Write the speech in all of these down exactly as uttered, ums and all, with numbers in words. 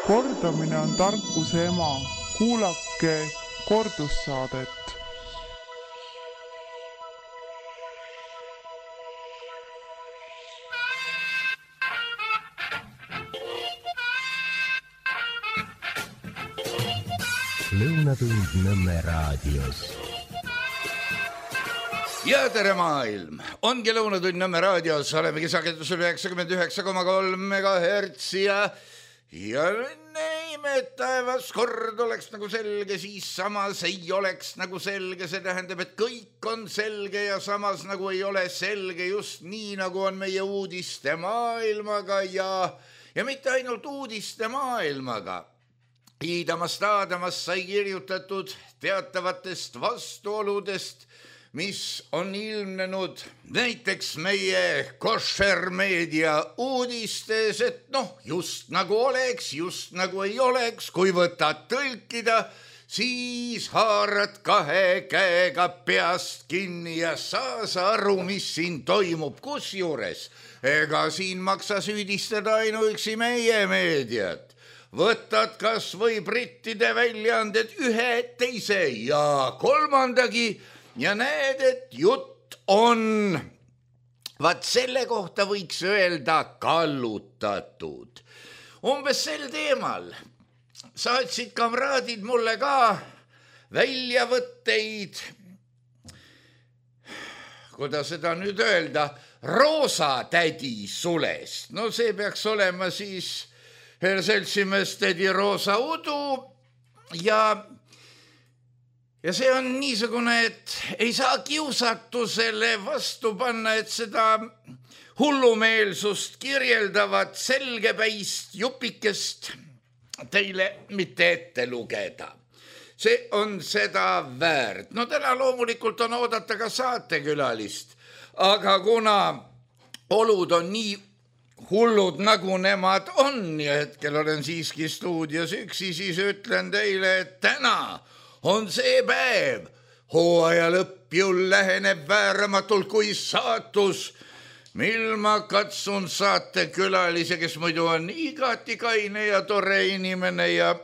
Kordamine on tarkuse ema. Kuulake kordussaadet. Lõunatund Nõmme raadios. Ja tere maailm! Ongi Lõunatund Nõmme raadios. Oleme kisakendusel üheksakümmend üheksa koma kolm megahertsi ja ja näime, et taevas kord oleks nagu selge, siis samas ei oleks nagu selge. See tähendab, et kõik on selge ja samas nagu ei ole selge, just nii nagu on meie uudiste maailmaga ja, ja mitte ainult uudiste maailmaga. Iidamas taadamas sai kirjutatud teatavatest vastuoludest, mis on ilmnenud näiteks meie koššermeedia uudistes, et noh, just nagu oleks, just nagu ei oleks, kui võtad tõlkida, siis haarad kahe käega peast kinni ja saas aru, mis siin toimub, kusjuures. Ega siin maksa süüdistada ainuüksi meie meediat. Võtad kas või brittide väljaanded ühe, teise ja kolmandagi ja näed, et jutt on, vaat selle kohta võiks öelda kallutatud. Umbes sel teemal saatsid kamraadid mulle ka väljavõtteid, kuidas seda nüüd öelda, Roosa tädi sulest. No see peaks olema siis seltsimees tädi Roosa Udu ja, ja see on niisugune, et ei saa kiusatusele vastu panna, et seda hullumeelsust kirjeldavat selgepäist jupikest teile mitte ette lugeda. See on seda väärt. No täna loomulikult on oodata ka saatekülalist, aga kuna olud on nii hullud nagu nemad on ja hetkel olen siiski stuudios üksi, siis ütlen teile, et täna on see päev. Hooaja lõpp ju läheneb vääramatult kui saatus, mil ma katsun saatekülalise, kes muidu on igati kaine ja tore inimene ja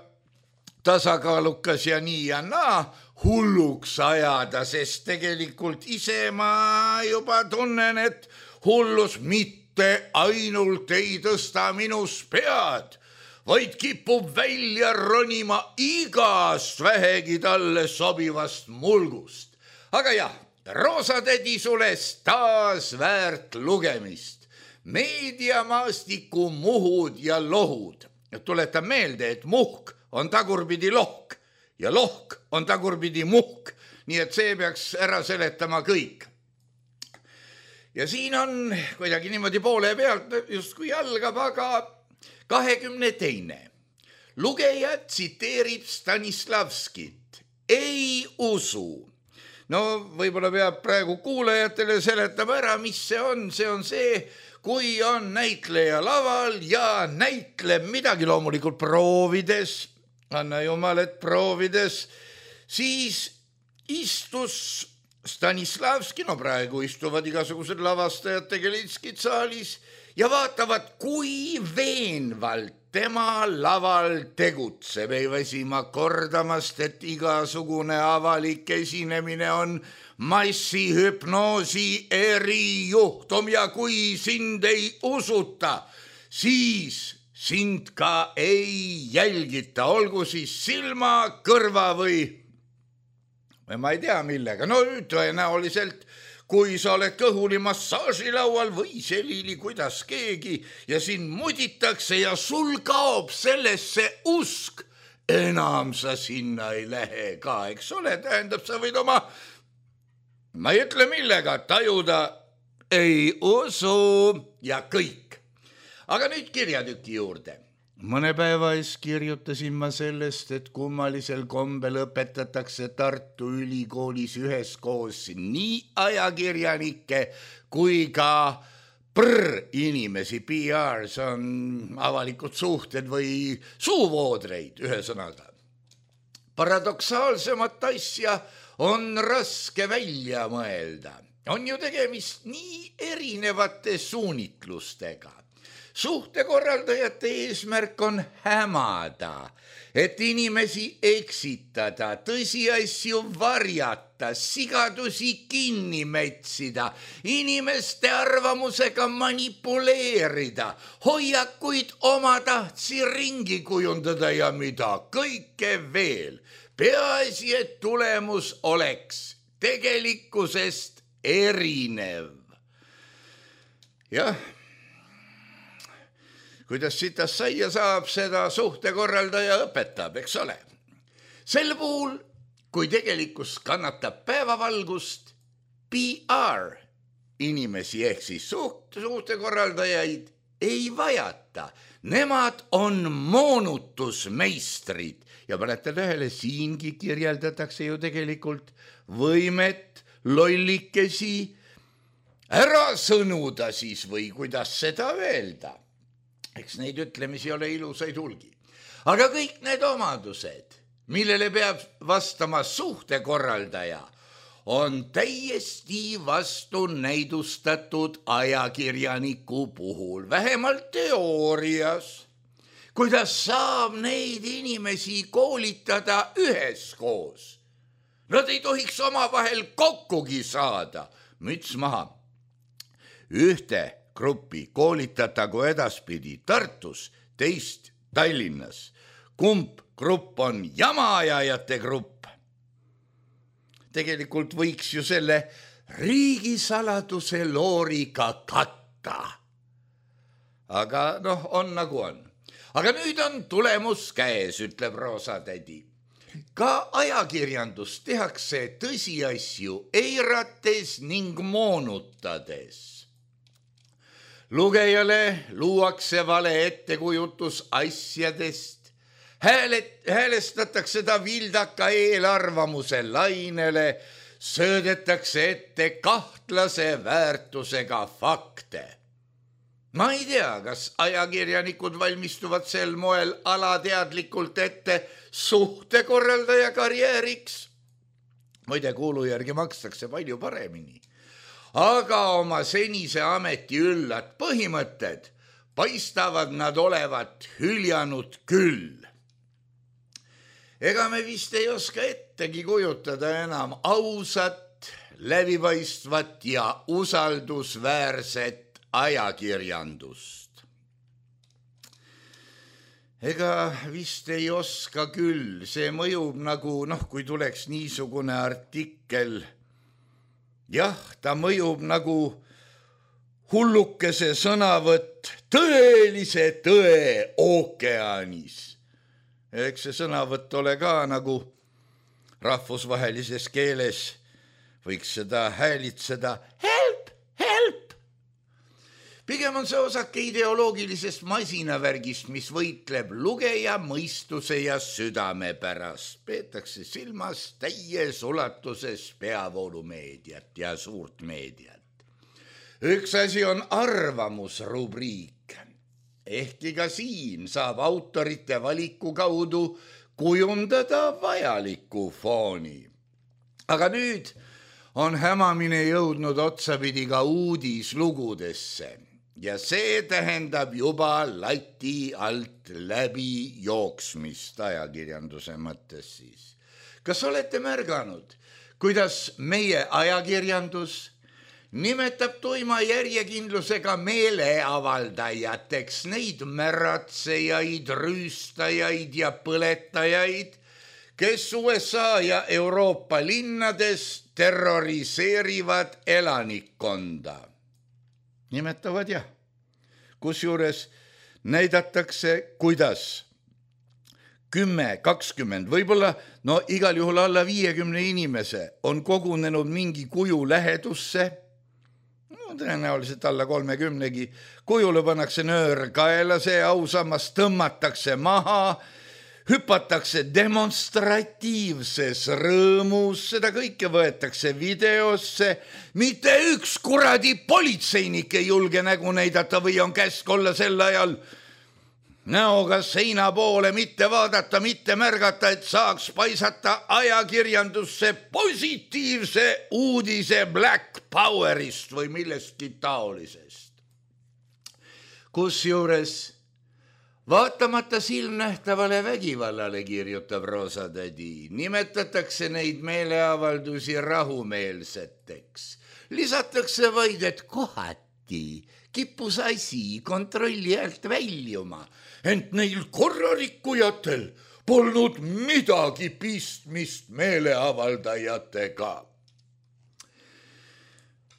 tasakaalukas ja nii ja naa, hulluks ajada, sest tegelikult ise ma juba tunnen, et hullus mitte Te ainult ei tõsta minus pead, vaid kipub välja ronima igast vähegi talle sobivast mulgust. Aga jah, Roosa tädi sulest taas väärt lugemist. Meediamaastiku muhud ja lohud. Tuletan meelde, et muhk on tagurpidi lohk ja lohk on tagurpidi muhk, nii et see peaks ära seletama kõik. Ja siin on kuidagi niimoodi poole pealt just kui algab, aga kahekümne teine. Lugeja tsiteerib Stanislavskit. Ei usu. No võib-olla peab praegu kuulajatele seletama ära, mis see on. See on see, kui on näitleja laval ja näitleb midagi loomulikult proovides, anna jumal, et proovides, siis istus Stanislavski, no praegu istuvad igasugused lavastajad tegelitskid saalis ja vaatavad, kui veenvalt tema laval tegutseb. Ei väsima kordamast, et igasugune avalik esinemine on massihüpnoosi erijuhtum ja kui sind ei usuta, siis sind ka ei jälgita, olgu siis silma, kõrva või või ma ei tea millega, no tõenäoliselt, kui sa oled kõhuli massaažilaual või selili, kuidas keegi ja sind muditakse ja sul kaob sellesse usk, enam sa sinna ei lähe ka, eks ole, tähendab, sa võid oma, ma ei ütle millega, tajuda ei usu ja kõik. Aga nüüd kirjatüki juurde. Mõne päeva ees kirjutasin ma sellest, et kummalisel kombel õpetatakse Tartu Ülikoolis üheskoos nii ajakirjanikke kui ka prr-inimesi, P R, see on avalikud suhted või suuvoodreid, ühesõnaga. Paradoksaalsemat asja on raske välja mõelda. On ju tegemist nii erinevate suunitlustega. Suhtekorraldajate eesmärk on hämada, et inimesi eksitada, tõsiasju varjata, sigadusi kinni metsida, inimeste arvamusega manipuleerida, hoiakuid omatahtsi ringi kujundada ja mida kõike veel. Peaasi, et tulemus oleks tegelikkusest erinev. Jah, kuidas sitas saia saab, seda suhtekorraldaja õpetab, eks ole. Sel puhul, kui tegelikkus kannatab päevavalgust, P R inimesi ehk siis suht, suhtekorraldajaid ei vajata. Nemad on moonutusmeistrid ja panete tähele, siingi kirjeldatakse ju tegelikult võimet lollikesi ära sõnuda siis või kuidas seda öelda. Eks neid ütlemisi ole ilusaid hulgi. Aga kõik need omadused, millele peab vastama suhtekorraldaja, on täiesti vastu näidustatud ajakirjaniku puhul, vähemalt teoorias. Kuidas saab neid inimesi koolitada üheskoos? Nad ei tohiks omavahel kokkugi saada. Müts maha. Ühte gruppi koolitatagu edaspidi Tartus, teist Tallinnas. Kumb grupp on jamaajajate grupp? Tegelikult võiks ju selle riigisaladuse looriga katta. Aga noh, on nagu on. Aga nüüd on tulemus käes, ütleb Roosatädi. Ka ajakirjandus tehakse tõsiasju eirates ning moonutades. Lugejale luuakse vale ettekujutus asjadest, häälet, häälestatakse ta vildaka eelarvamuse lainele, söödetakse ette kahtlase väärtusega fakte. Ma ei tea, kas ajakirjanikud valmistuvad sel moel alateadlikult ette suhtekorraldaja karjääriks. Muide, kuulu järgi makstakse palju paremini. Aga oma senise ameti üllad põhimõtted paistavad nad olevat hüljanud küll. Ega me vist ei oska ettegi kujutada enam ausat, läbipaistvat ja usaldusväärset ajakirjandust. Ega vist ei oska küll, see mõjub nagu, noh, kui tuleks niisugune artikkel, jah, ta mõjub nagu hullukese sõnavõtt tõelise tõe ookeanis. Eks see sõnavõtt ole ka nagu rahvusvahelises keeles, võiks seda häälitseda help, help. Pigem on see osake ideoloogilisest masinavärgist, mis võitleb lugeja mõistuse ja südame pärast. Peetakse silmas täies ulatuses peavoolumeediat ja suurt meediat. Üks asi on arvamusrubriik. Ehkki ka siin saab autorite valiku kaudu kujundada vajaliku fooni. Aga nüüd on hämamine jõudnud otsapidi ka uudislugudesse. Ja see tähendab juba lati alt läbi jooksmist ajakirjanduse mõttes siis. Kas olete märganud, kuidas meie ajakirjandus nimetab tuima järjekindlusega meeleavaldajateks neid märatsejaid, rüüstajaid ja põletajaid, kes U S A ja Euroopa linnades terroriseerivad elanikkonda? Nimetavad jah. Kusjuures näidatakse, kuidas kümme, kakskümmend, võib-olla no igal juhul alla viiekümne inimese on kogunenud mingi kuju lähedusse, no, tõenäoliselt alla kolmekümnegi, kujule pannakse nöör kaela, see ausammas tõmmatakse maha, hüpatakse demonstratiivses rõõmus, seda kõike võetakse videosse, mitte üks kuradi politseinik ei julge nägu näidata või on käsk olla sel ajal näoga seina poole, mitte vaadata, mitte märgata, et saaks paisata ajakirjandusse positiivse uudise Black Powerist või millestki taolisest. Kusjuures vaatamata silmnähtavale vägivallale, kirjutab Roosatädi, nimetatakse neid meeleavaldusi rahumeelseteks. Lisatakse vaid, et kohati kippus asi kontrolli alt väljuma, ent neil korrarikkujatel polnud midagi pistmist meeleavaldajatega.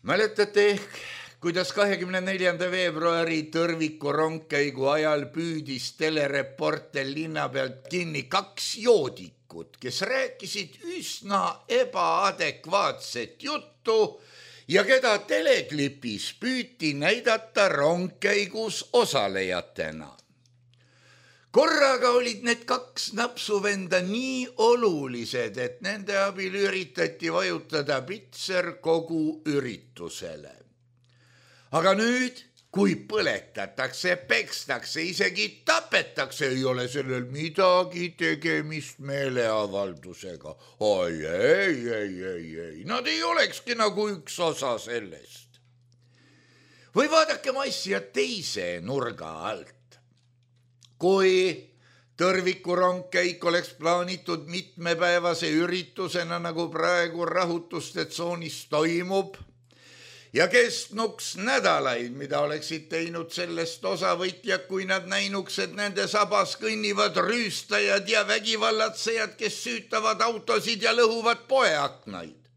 Mäletate ehk, kuidas kahekümne neljanda veebruari Tõrviku rongkäigu ajal püüdis telereporter linna pealt kinni kaks joodikut, kes rääkisid üsna ebaadekvaatset juttu ja keda teleklipis püüti näidata rongkäigus osalejatena. Korraga olid need kaks napsuvenda nii olulised, et nende abil üritati vajutada pitser kogu üritusele. Aga nüüd, kui põletatakse, pekstakse, isegi tapetakse, ei ole sellel midagi tegemist meeleavaldusega. Oi, ei, ei, ei, ei, nad ei olekski nagu üks osa sellest. Või vaadakem asja teise nurga alt. Kui Tõrviku rongkäik oleks plaanitud mitmepäevase üritusena, nagu praegu rahutuste tsoonis toimub, ja kestnuks nädalaid, mida oleksid teinud sellest osavõtjad, kui nad näinuks, et nende sabas kõnnivad rüüstajad ja vägivallatsejad, kes süütavad autosid ja lõhuvad poeaknaid.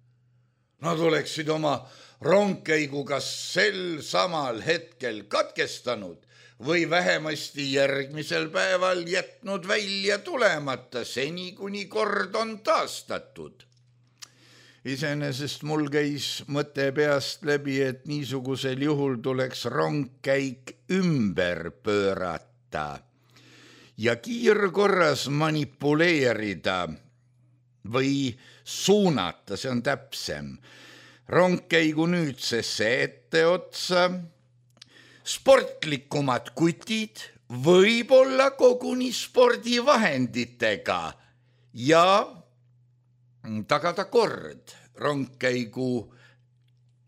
Nad oleksid oma rongkäiguga sel samal hetkel katkestanud või vähemasti järgmisel päeval jätnud välja tulemata, seni kuni kord on taastatud. Iseenesest mul käis mõte peast läbi, et niisugusel juhul tuleks rongkäik ümber pöörata ja kiirkorras manipuleerida või suunata, see on täpsem, rongkäigu nüüdsesse etteotsa, sportlikumad kutid, võib-olla koguni spordivahenditega ja tagada kord rongkäigu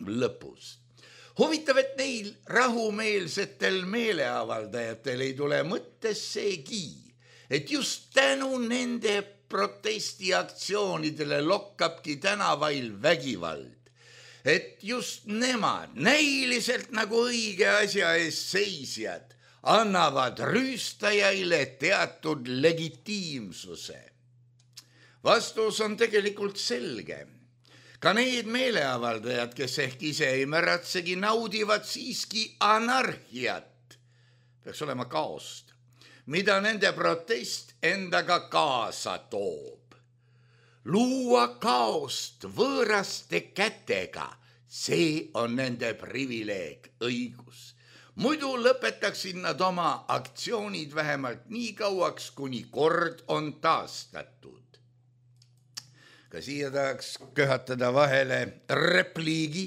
lõpus. Huvitav, et neil rahumeelsetel meeleavaldajatel ei tule mõttessegi, et just tänu nende protestiaktsioonidele lokkabki tänavail vägivald. Et just nemad, näiliselt nagu õige asja ees seisjad, annavad rüüstajaile teatud legitiimsuse. Vastus on tegelikult selge. Ka need meeleavaldajad, kes ehk ise ei märatsegi, naudivad siiski anarhiat, peaks olema kaost, mida nende protest endaga kaasa toob. Luua kaost võõraste kätega, see on nende privileeg, õigus. Muidu lõpetaksid nad oma aktsioonid vähemalt nii kauaks, kuni kord on taastatud. Ka siia tahaks köhatada vahele repliigi.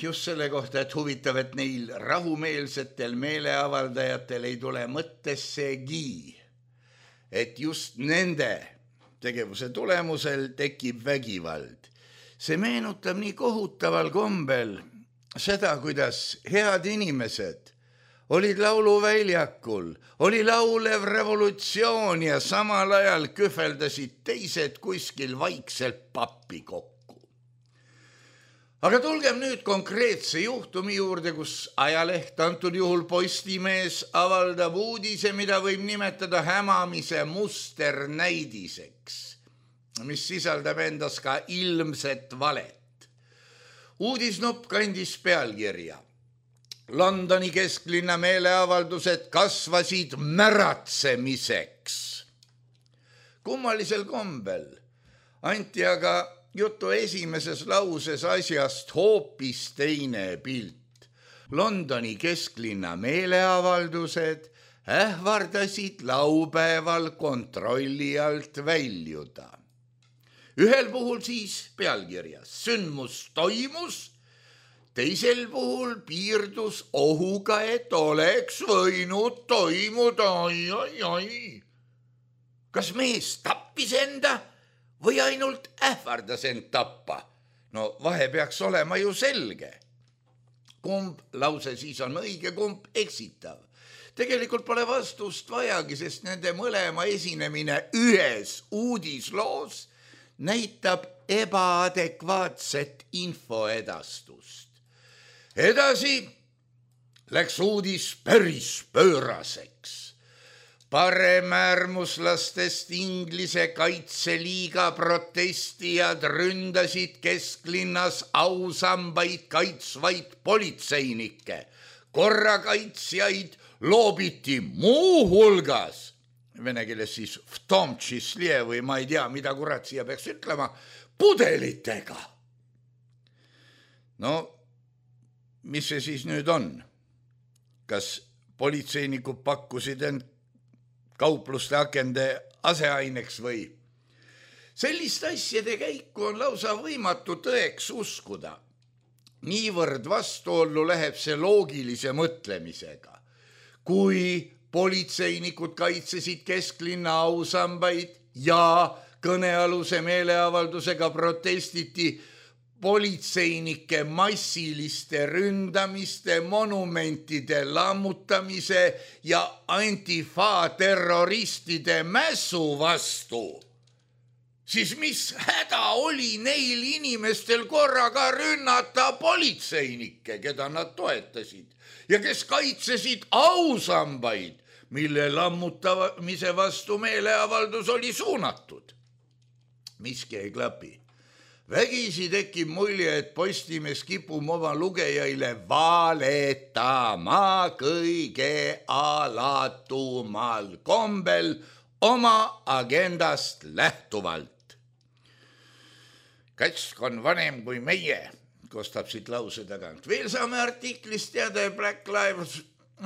Just selle kohta, et huvitav, et neil rahumeelsetel meeleavaldajatel ei tule mõttessegi, et just nende tegevuse tulemusel tekib vägivald. See meenutab nii kohutaval kombel seda, kuidas head inimesed olid lauluväljakul, oli laulev revolutsioon ja samal ajal kühveldasid teised kuskil vaikselt pappi kokku. Aga tulgem nüüd konkreetse juhtumi juurde, kus ajaleht, antud juhul Postimees, avaldab uudise, mida võib nimetada hämamise musternäidiseks, mis sisaldab endas ka ilmset valet. Uudisnupp kandis pealkirja. Londoni kesklinna meeleavaldused kasvasid märatsemiseks. Kummalisel kombel anti aga jutu esimeses lauses asjast hoopis teine pilt. Londoni kesklinna meeleavaldused ähvardasid laupäeval kontrolli alt väljuda. Ühel puhul siis pealkirjas sündmus toimus, teisel puhul piirdus ohuga, et oleks võinud toimuda. Ai, ai, ai. Kas mees tappis enda või ainult ähvardas end tappa? No vahe peaks olema ju selge. kumb lause siis on õige, kumb eksitav. Tegelikult pole vastust vajagi, sest nende mõlema esinemine ühes uudisloos näitab ebaadekvaatset infoedastust. Edasi läks uudis päris pööraseks. Paremäärmuslastest Inglise kaitseliiga protestijad ründasid kesklinnas ausambaid kaitsvaid politseinikke. Korrakaitsjaid loobiti muu hulgas, vene keeles siis v tom čislie või ma ei tea, mida kurat siia peaks ütlema, pudelitega. No, mis see siis nüüd on? Kas politseinikud pakkusid end kaupluste akende aseaineks või? Sellist asjade käiku on lausa võimatu tõeks uskuda. Niivõrd vastuollu läheb see loogilise mõtlemisega. Kui politseinikud kaitsesid kesklinna ausambaid ja kõnealuse meeleavaldusega protestiti politseinike massiliste ründamiste, monumentide lammutamise ja antifa terroristide mässu vastu, siis mis häda oli neil inimestel korraga rünnata politseinikke, keda nad toetasid ja kes kaitsesid ausambaid, mille lammutamise vastu meeleavaldus oli suunatud? Miski ei klapi. Vägisi tekib mulje, et Postimees kipub oma lugejaile valetama kõige alatumal kombel oma agendast lähtuvalt. Katsk on vanem kui meie, kostab siit lause tagant. Veel saame artiklist teada, Black Lives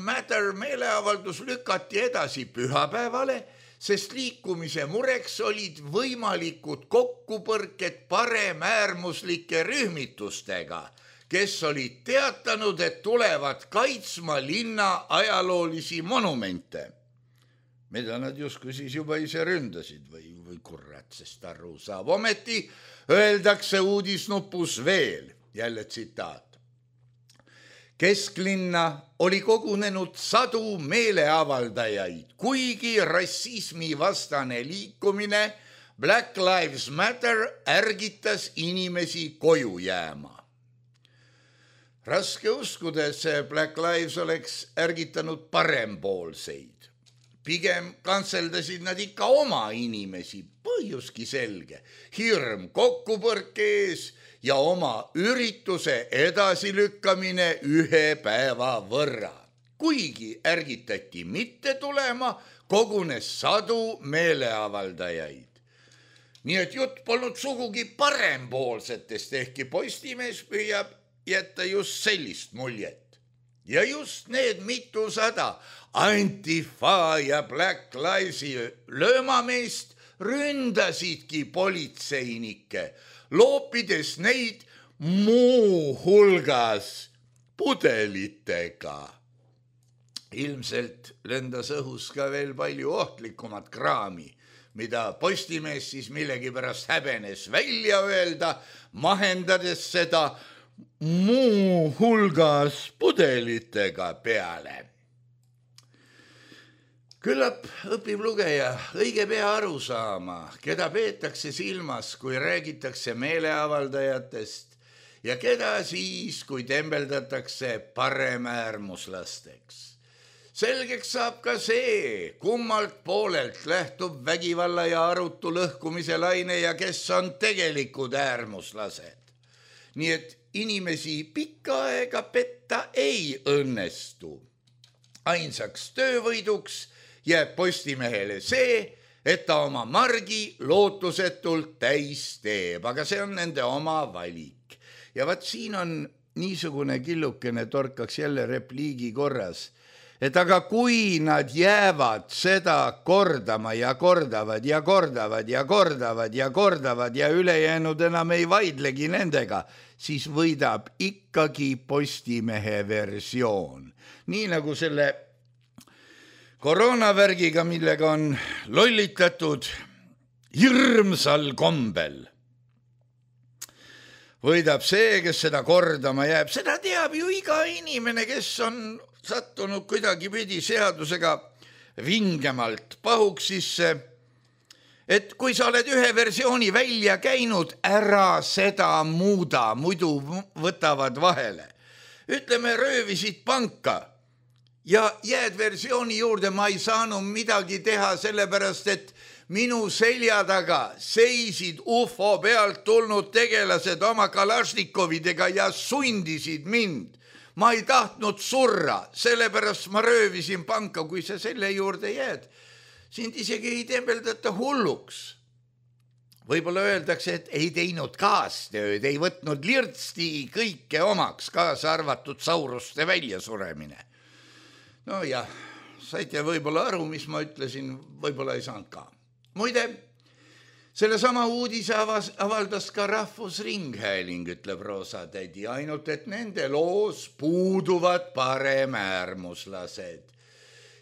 Matter meeleavaldus lükati edasi pühapäevale, sest liikumise mureks olid võimalikud kokkupõrked paremäärmuslike rühmitustega, kes olid teatanud, et tulevad kaitsma linna ajaloolisi monumente. Mida nad justkui siis juba ise ründasid või, või kurat, sest aru saab. Ometi öeldakse uudisnupus veel, jälle tsitaat. Kesklinna oli kogunenud sadu meeleavaldajaid, kuigi rassismi vastane liikumine Black Lives Matter ärgitas inimesi koju jääma. Raske uskuda, et see Black Lives oleks ärgitanud parempoolseid. Pigem kantseldasid nad ikka oma inimesi, põhjuski selge, hirm kokkupõrke ees ja oma ürituse edasilükkamine ühe päeva võrra. Kuigi ärgitati mitte tulema, kogunes sadu meeleavaldajaid. Nii et jutt polnud sugugi parempoolsetest, ehkki Postimees püüab jätta just sellist muljet. Ja just need mitusada antifa ja Black Livesi löömameest ründasidki politseinikke, loopides neid muu hulgas pudelitega. Ilmselt lendas õhus ka veel palju ohtlikumat kraami, mida Postimees siis millegipärast häbenes välja öelda, mahendades seda muu hulgas pudelitega peale. Küllap õpib lugeja õige pea aru saama, keda peetakse silmas, kui räägitakse meeleavaldajatest ja keda siis, kui tembeldatakse paremäärmuslasteks. Selgeks saab ka see, kummalt poolelt lähtub vägivalla ja arutu lõhkumise laine ja kes on tegelikud äärmuslased. Nii et inimesi pikka aega petta ei õnnestu. Ainsaks töövõiduks jääb Postimehele see, et ta oma margi lootusetult täis teeb, aga see on nende oma valik. Ja vaat siin on niisugune killukene torkaks jälle repliigi korras, et aga kui nad jäävad seda kordama ja kordavad ja kordavad ja kordavad ja kordavad ja ülejäänud enam ei vaidlegi nendega, siis võidab ikkagi Postimehe versioon. Nii nagu selle koroonavärgiga, millega on lollitatud hirmsal kombel. võidab see, kes seda kordama jääb. Seda teab ju iga inimene, kes on sattunud kuidagi pidi seadusega vingemalt pahuksisse, et kui sa oled ühe versiooni välja käinud, ära seda muuda, muidu võtavad vahele. Ütleme, röövisid panka ja jääd versiooni juurde, ma ei saanud midagi teha, sellepärast et minu selja taga seisid U F O pealt tulnud tegelased oma Kalašnikovidega ja sundisid mind. Ma ei tahtnud surra, sellepärast ma röövisin panka, kui sa selle juurde jääd. Sind isegi ei tembeldata hulluks. Võib-olla öeldakse, et ei teinud kaastööd, ei võtnud lirtsti kõike omaks, kaasa arvatud sauruste väljasuremine. No jah, saite võib-olla aru, mis ma ütlesin, võib-olla ei saanud ka. Muide, selle sama uudise avaldas ka Rahvusringhääling, ütleb Roosatädi, ainult et nende loos puuduvad paremäärmuslased.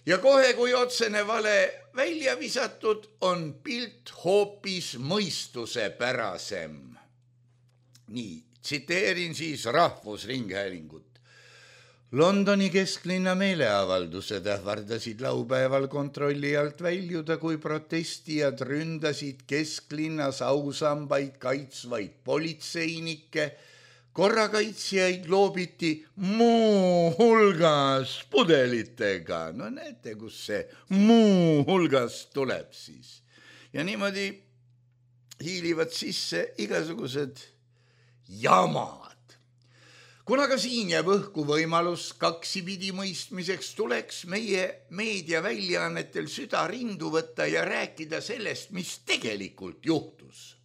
Ja kohe, kui otsene vale välja visatud, on pilt hoopis mõistuse pärasem. Nii, tsiteerin siis Rahvusringhäälingut. Londoni kesklinna meeleavaldused ähvardasid laupäeval kontrolli alt väljuda, kui protestijad ründasid kesklinnas ausambaid kaitsvaid politseinikke, korrakaitsjaid loobiti muu hulgas pudelitega. No näete, kus see muu hulgas tuleb siis. Ja niimoodi hiilivad sisse igasugused jamad. Kuna ka siin jääb õhku võimalus kaksipidi mõistmiseks, tuleks meie meediaväljaannetel süda rindu võtta ja rääkida sellest, mis tegelikult juhtus.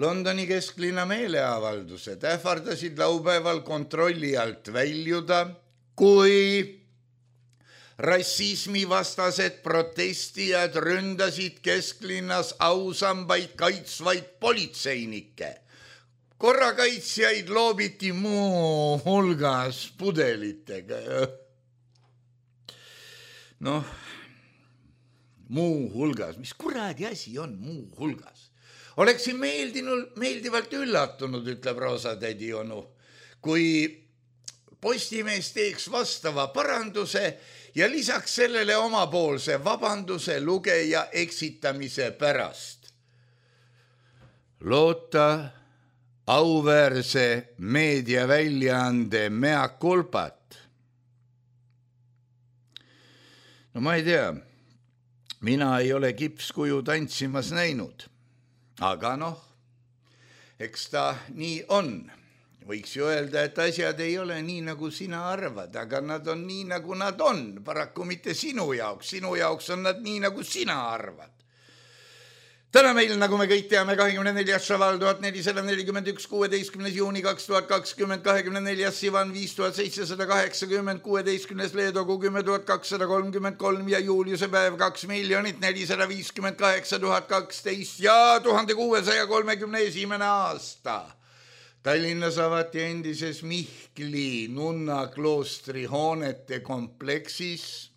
Londoni kesklinna meeleavaldused ähvardasid laupäeval kontrolli alt väljuda, kui rassismivastased protestijad ründasid kesklinnas ausambaid kaitsvaid politseinikke. Korrakaitsjaid loobiti muu hulgas pudelitega. Noh, muu hulgas, mis kuradi asi on muu hulgas? Oleksin meeldinud, meeldivalt üllatunud, ütleb Roosatädi onu, kui Postimees teeks vastava paranduse ja lisaks sellele omapoolse vabanduse lugeja eksitamise pärast. Loota auväärse meediaväljaande mea culpat. No ma ei tea, mina ei ole kipskuju tantsimas näinud. Aga noh, eks ta nii on. Võiks ju öelda, et asjad ei ole nii, nagu sina arvad, aga nad on nii, nagu nad on. Paraku mitte sinu jaoks. Sinu jaoks on nad nii, nagu sina arvad. Täna meil, nagu me kõik teame, kahekümne neljas šaval tuhat nelisada nelikümmend üks, kuueteistkümnes juuni kaks tuhat kakskümmend, kahekümne neljas Sivan viis tuhat seitsesada kaheksakümmend, kuueteistkümnes Leedogu kümme tuhat kakssada kolmkümmend kolm ja Juuliuse päev kaks miljonit nelisada viiskümmend kaheksa tuhat kaksteist ja tuhande kuuesaja kolmekümne esimene aasta. Tallinnas avati endises Mihkli nunna kloostri hoonete kompleksis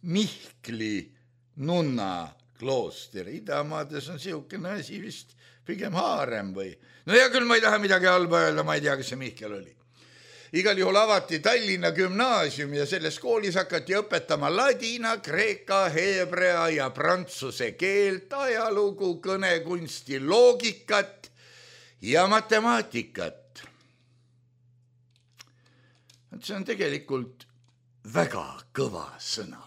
Mihkli nunna klooster. Idamaades on siukene asi vist pigem haarem või. No ja küll ma ei taha midagi halba öelda, ma ei tea, kas see Mihkel oli. Igal juhul avati Tallinna gümnaasium ja selles koolis hakati õpetama ladina, kreeka, heebrea ja prantsuse keelt, ajalugu, kõnekunsti, loogikat ja matemaatikat. See on tegelikult väga kõva sõna.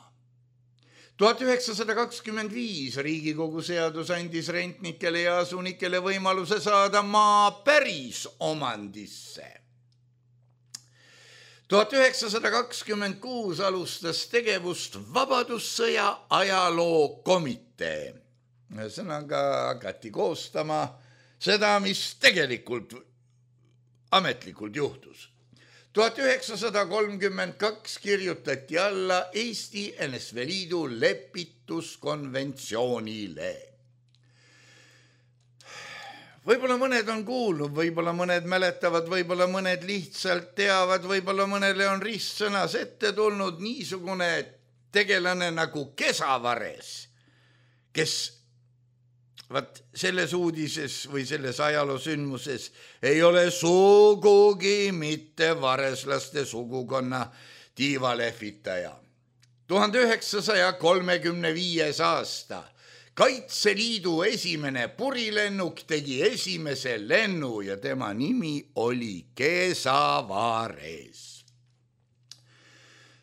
tuhat üheksasada kakskümmend viis Riigikogu seadus andis rentnikele ja asunikele võimaluse saada maa päris omandisse. tuhat üheksasada kakskümmend kuus alustas tegevust Vabadussõja ajaloo komitee. Ühesõnaga hakati koostama seda, mis tegelikult ametlikult juhtus. tuhat üheksasada kolmkümmend kaks kirjutati alla Eesti N S V Liidu lepituskonventsioonile. Võib-olla mõned on kuulnud, võib-olla mõned mäletavad, võib-olla mõned lihtsalt teavad, võib-olla mõnele on ristsõnas ette tulnud niisugune tegelane nagu Kesavares, kes vaat selles uudises või selles ajaloosündmuses ei ole sugugi mitte vareslaste sugukonna tiivalehvitaja. tuhande üheksasaja kolmekümne viies aasta Kaitseliidu esimene purilennuk tegi esimese lennu ja tema nimi oli Kesavares.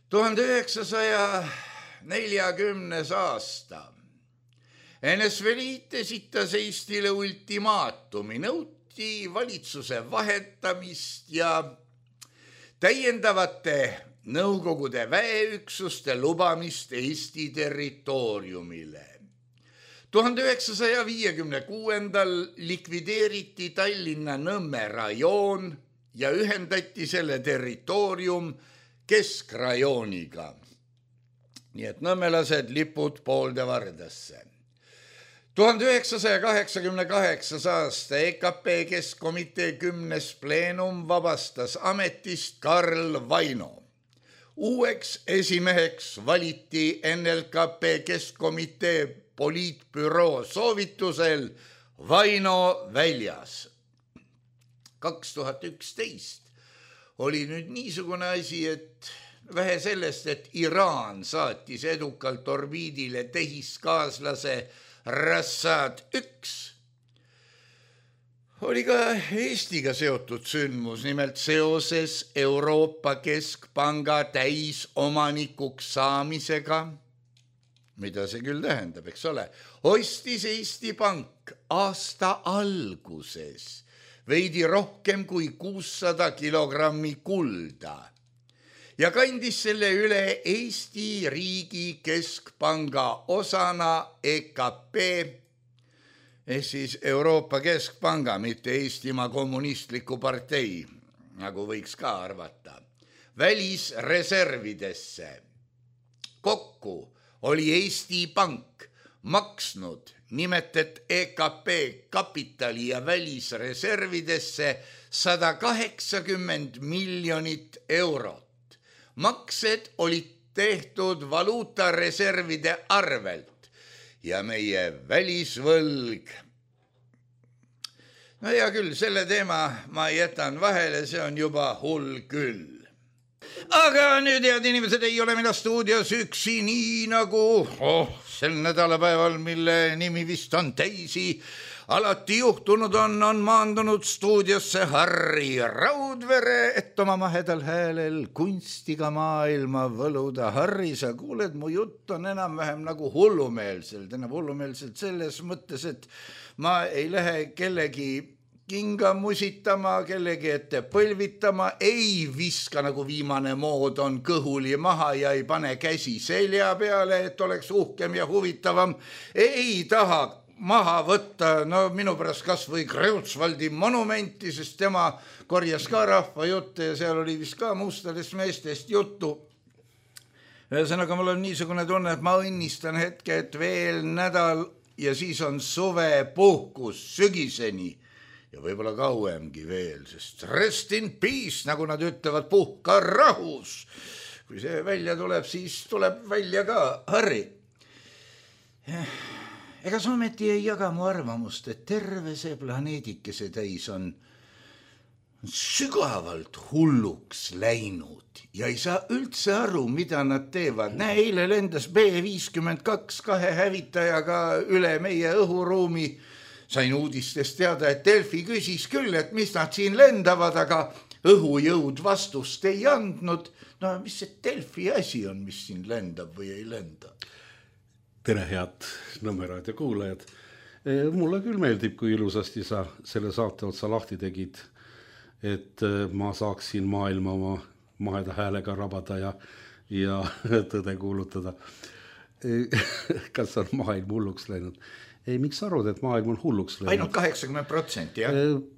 tuhande üheksasaja neljakümnes aasta N S V Liit esitas Eestile ultimaatumi, nõuti valitsuse vahetamist ja täiendavate Nõukogude väeüksuste lubamist Eesti territooriumile. tuhande üheksasaja viiekümne kuuendal likvideeriti Tallinna Nõmme rajoon ja ühendati selle territoorium keskrajooniga. Nii et nõmmelased lipud poolde vardasse. tuhande üheksasaja kaheksakümne kaheksas aasta E K P Keskkomitee kümnes pleenum vabastas ametist Karl Vaino. Uueks esimeheks valiti N L K P Keskkomitee poliitbüroo soovitusel Vaino Väljas. kaks tuhat üksteist oli nüüd niisugune asi, et vähe sellest, et Iraan saatis edukalt orbiidile tehiskaaslase Rassad üks, oli ka Eestiga seotud sündmus, nimelt seoses Euroopa Keskpanga täisomanikuks saamisega, mida see küll tähendab, eks ole, ostis Eesti Pank aasta alguses veidi rohkem kui kuussada kilogrammi kulda ja kandis selle üle Eesti riigi keskpanga osana E K P, ehk siis Euroopa Keskpanga, mitte Eestimaa kommunistliku partei, nagu võiks ka arvata, välisreservidesse. Kokku oli Eesti Pank maksnud nimetet E K P kapitali ja välisreservidesse sada kaheksakümmend miljonit eurot. Maksed olid tehtud valuutareservide arvelt ja meie välisvõlg. No hea küll, selle teema ma jätan vahele, see on juba hull küll. Aga nüüd, head inimesed, ei ole mina stuudios üksi, nii nagu oh, sel nädalapäeval, mille nimi vist on teisi, alati juhtunud on, on maandunud stuudiosse Harri Raudvere, et oma mahedal häälel kunstiga maailma võluda. Harri, sa kuuled, mu jutt on enam-vähem nagu hullumeelselt, enam hullumeelselt selles mõttes, et ma ei lähe kellegi kinga musitama, kellegi ette põlvitama, ei viska nagu viimane mood on kõhuli maha ja ei pane käsi selja peale, et oleks uhkem ja huvitavam. Ei taha maha võtta, no minu pärast kas või Kreutzwaldi monumenti, sest tema korjas ka rahva jutte ja seal oli vist ka mustadest meestest juttu. Ühesõnaga, mul on niisugune tunne, et ma õnnistan hetke, et veel nädal ja siis on suvepuhkus sügiseni ja võib-olla kauemgi veel, sest rest in peace, nagu nad ütlevad, puhka rahus. Kui see välja tuleb, siis tuleb välja ka Harri. Ega sa ometi ei jaga mu arvamust, et terve see planeedikese täis on sügavalt hulluks läinud ja ei saa üldse aru, mida nad teevad. Näe, eile lendas B viiskümmend kaks kahe hävitajaga üle meie õhuruumi. Sain uudistest teada, et Delfi küsis küll, et mis nad siin lendavad, aga õhujõud vastust ei andnud. No mis see Delfi asi on, mis siin lendab või ei lenda? Tere, head Nõmme raadio kuulajad. Mulle küll meeldib, kui ilusasti sa selle saate otsa lahti tegid, et ma saaksin maailma oma maheda häälega rabada ja, ja tõde kuulutada. Kas on maailm hulluks läinud? Ei, miks arvad, et maailm on hulluks läinud? Ainult kaheksakümmend protsenti, jah?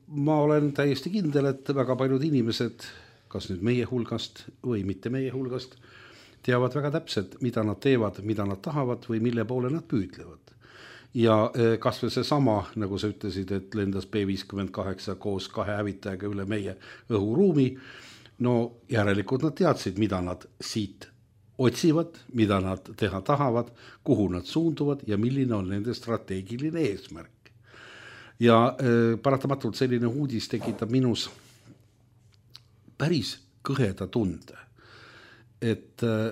Ma olen täiesti kindel, et väga paljud inimesed, kas nüüd meie hulgast või mitte meie hulgast, teavad väga täpselt, mida nad teevad, mida nad tahavad või mille poole nad püüdlevad. Ja kas või see sama, nagu sa ütlesid, et lendas B viiskümmend kaheksa koos kahe hävitajaga üle meie õhuruumi, no järelikult nad teadsid, mida nad siit otsivad, mida nad teha tahavad, kuhu nad suunduvad ja milline on nende strateegiline eesmärk. ja äh, paratamatult selline uudis tekitab minus päris kõheda tunde, et äh,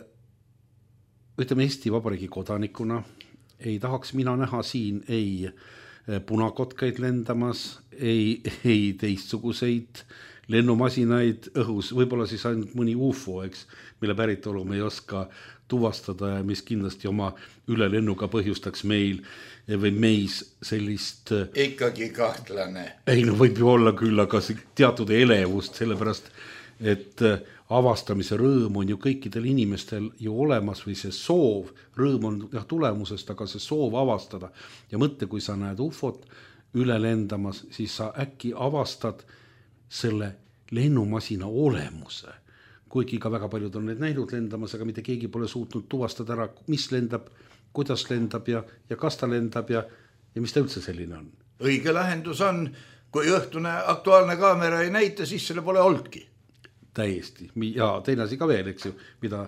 ütleme Eesti Vabariigi kodanikuna ei tahaks mina näha siin ei punakotkaid lendamas, ei, ei teistsuguseid lennumasinaid õhus, võib-olla siis ainult mõni U F O, eks, mille päritolu me ei oska tuvastada ja mis kindlasti oma ülelennuga põhjustaks meil või meis sellist... Ikkagi kahtlane. Ei, no võib ju olla küll, aga teatud elevust, sellepärast, et avastamise rõõm on ju kõikidel inimestel ju olemas või see soov, rõõm on jah, tulemusest, aga see soov avastada. Ja mõtle, kui sa näed U F O-t üle lendamas, siis sa äkki avastad selle lennumasina olemuse. Kuigi ka väga paljud on need näinud lendamas, aga mitte keegi pole suutnud tuvastada ära, mis lendab, kuidas lendab ja, ja kas ta lendab ja, ja mis ta üldse selline on. Õige lahendus on, kui õhtune aktuaalne kaamera ei näita, siis selle pole olnudki. Täiesti. Ja teine asi ka veel, eks ju, mida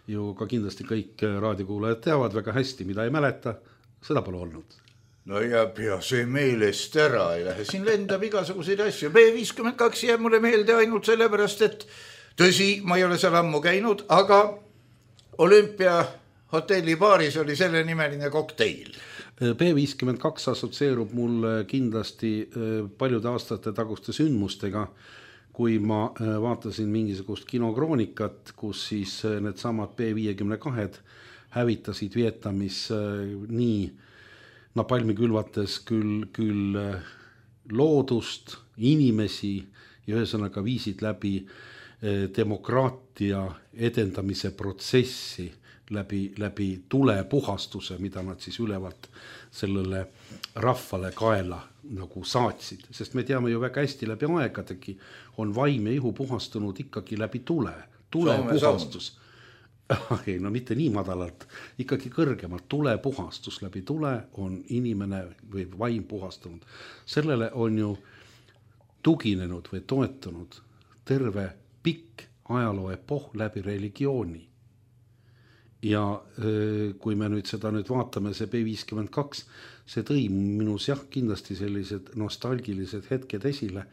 ju ka kindlasti kõik raadiokuulajad teavad väga hästi, mida ei mäleta, seda pole olnud. No ja pea see meelest ära ei lähe. Siin lendab igasuguseid asju. B viiskümmend kaks jääb mulle meelde ainult sellepärast, et tõsi, ma ei ole seal ammu käinud, aga Olümpia hotelli baaris oli selle nimeline kokteil. B viiskümmend kaks assotsieerub mul kindlasti paljude aastate taguste sündmustega, kui ma vaatasin mingisugust kinokroonikat, kus siis need samad B viiskümmend kaks hävitasid Vietnamis nii napalmi külvates küll, küll loodust, inimesi ja ühesõnaga viisid läbi demokraatia edendamise protsessi läbi, läbi tulepuhastuse, mida nad siis ülevalt sellele rahvale kaela nagu saatsid. Sest me teame ju väga hästi läbi aegadegi on vaim ja ihu puhastunud ikkagi läbi tule. Tule Soome puhastus. Ei, no mitte nii madalalt, ikkagi kõrgemalt. Tule puhastus läbi tule on inimene või vaim puhastunud. Sellele on ju tuginenud või toetunud terve pikk ajaloo epoh läbi religiooni. Ja kui me nüüd seda nüüd vaatame, see B viiskümmend kaks, see tõi minus jah kindlasti sellised nostalgilised hetked esile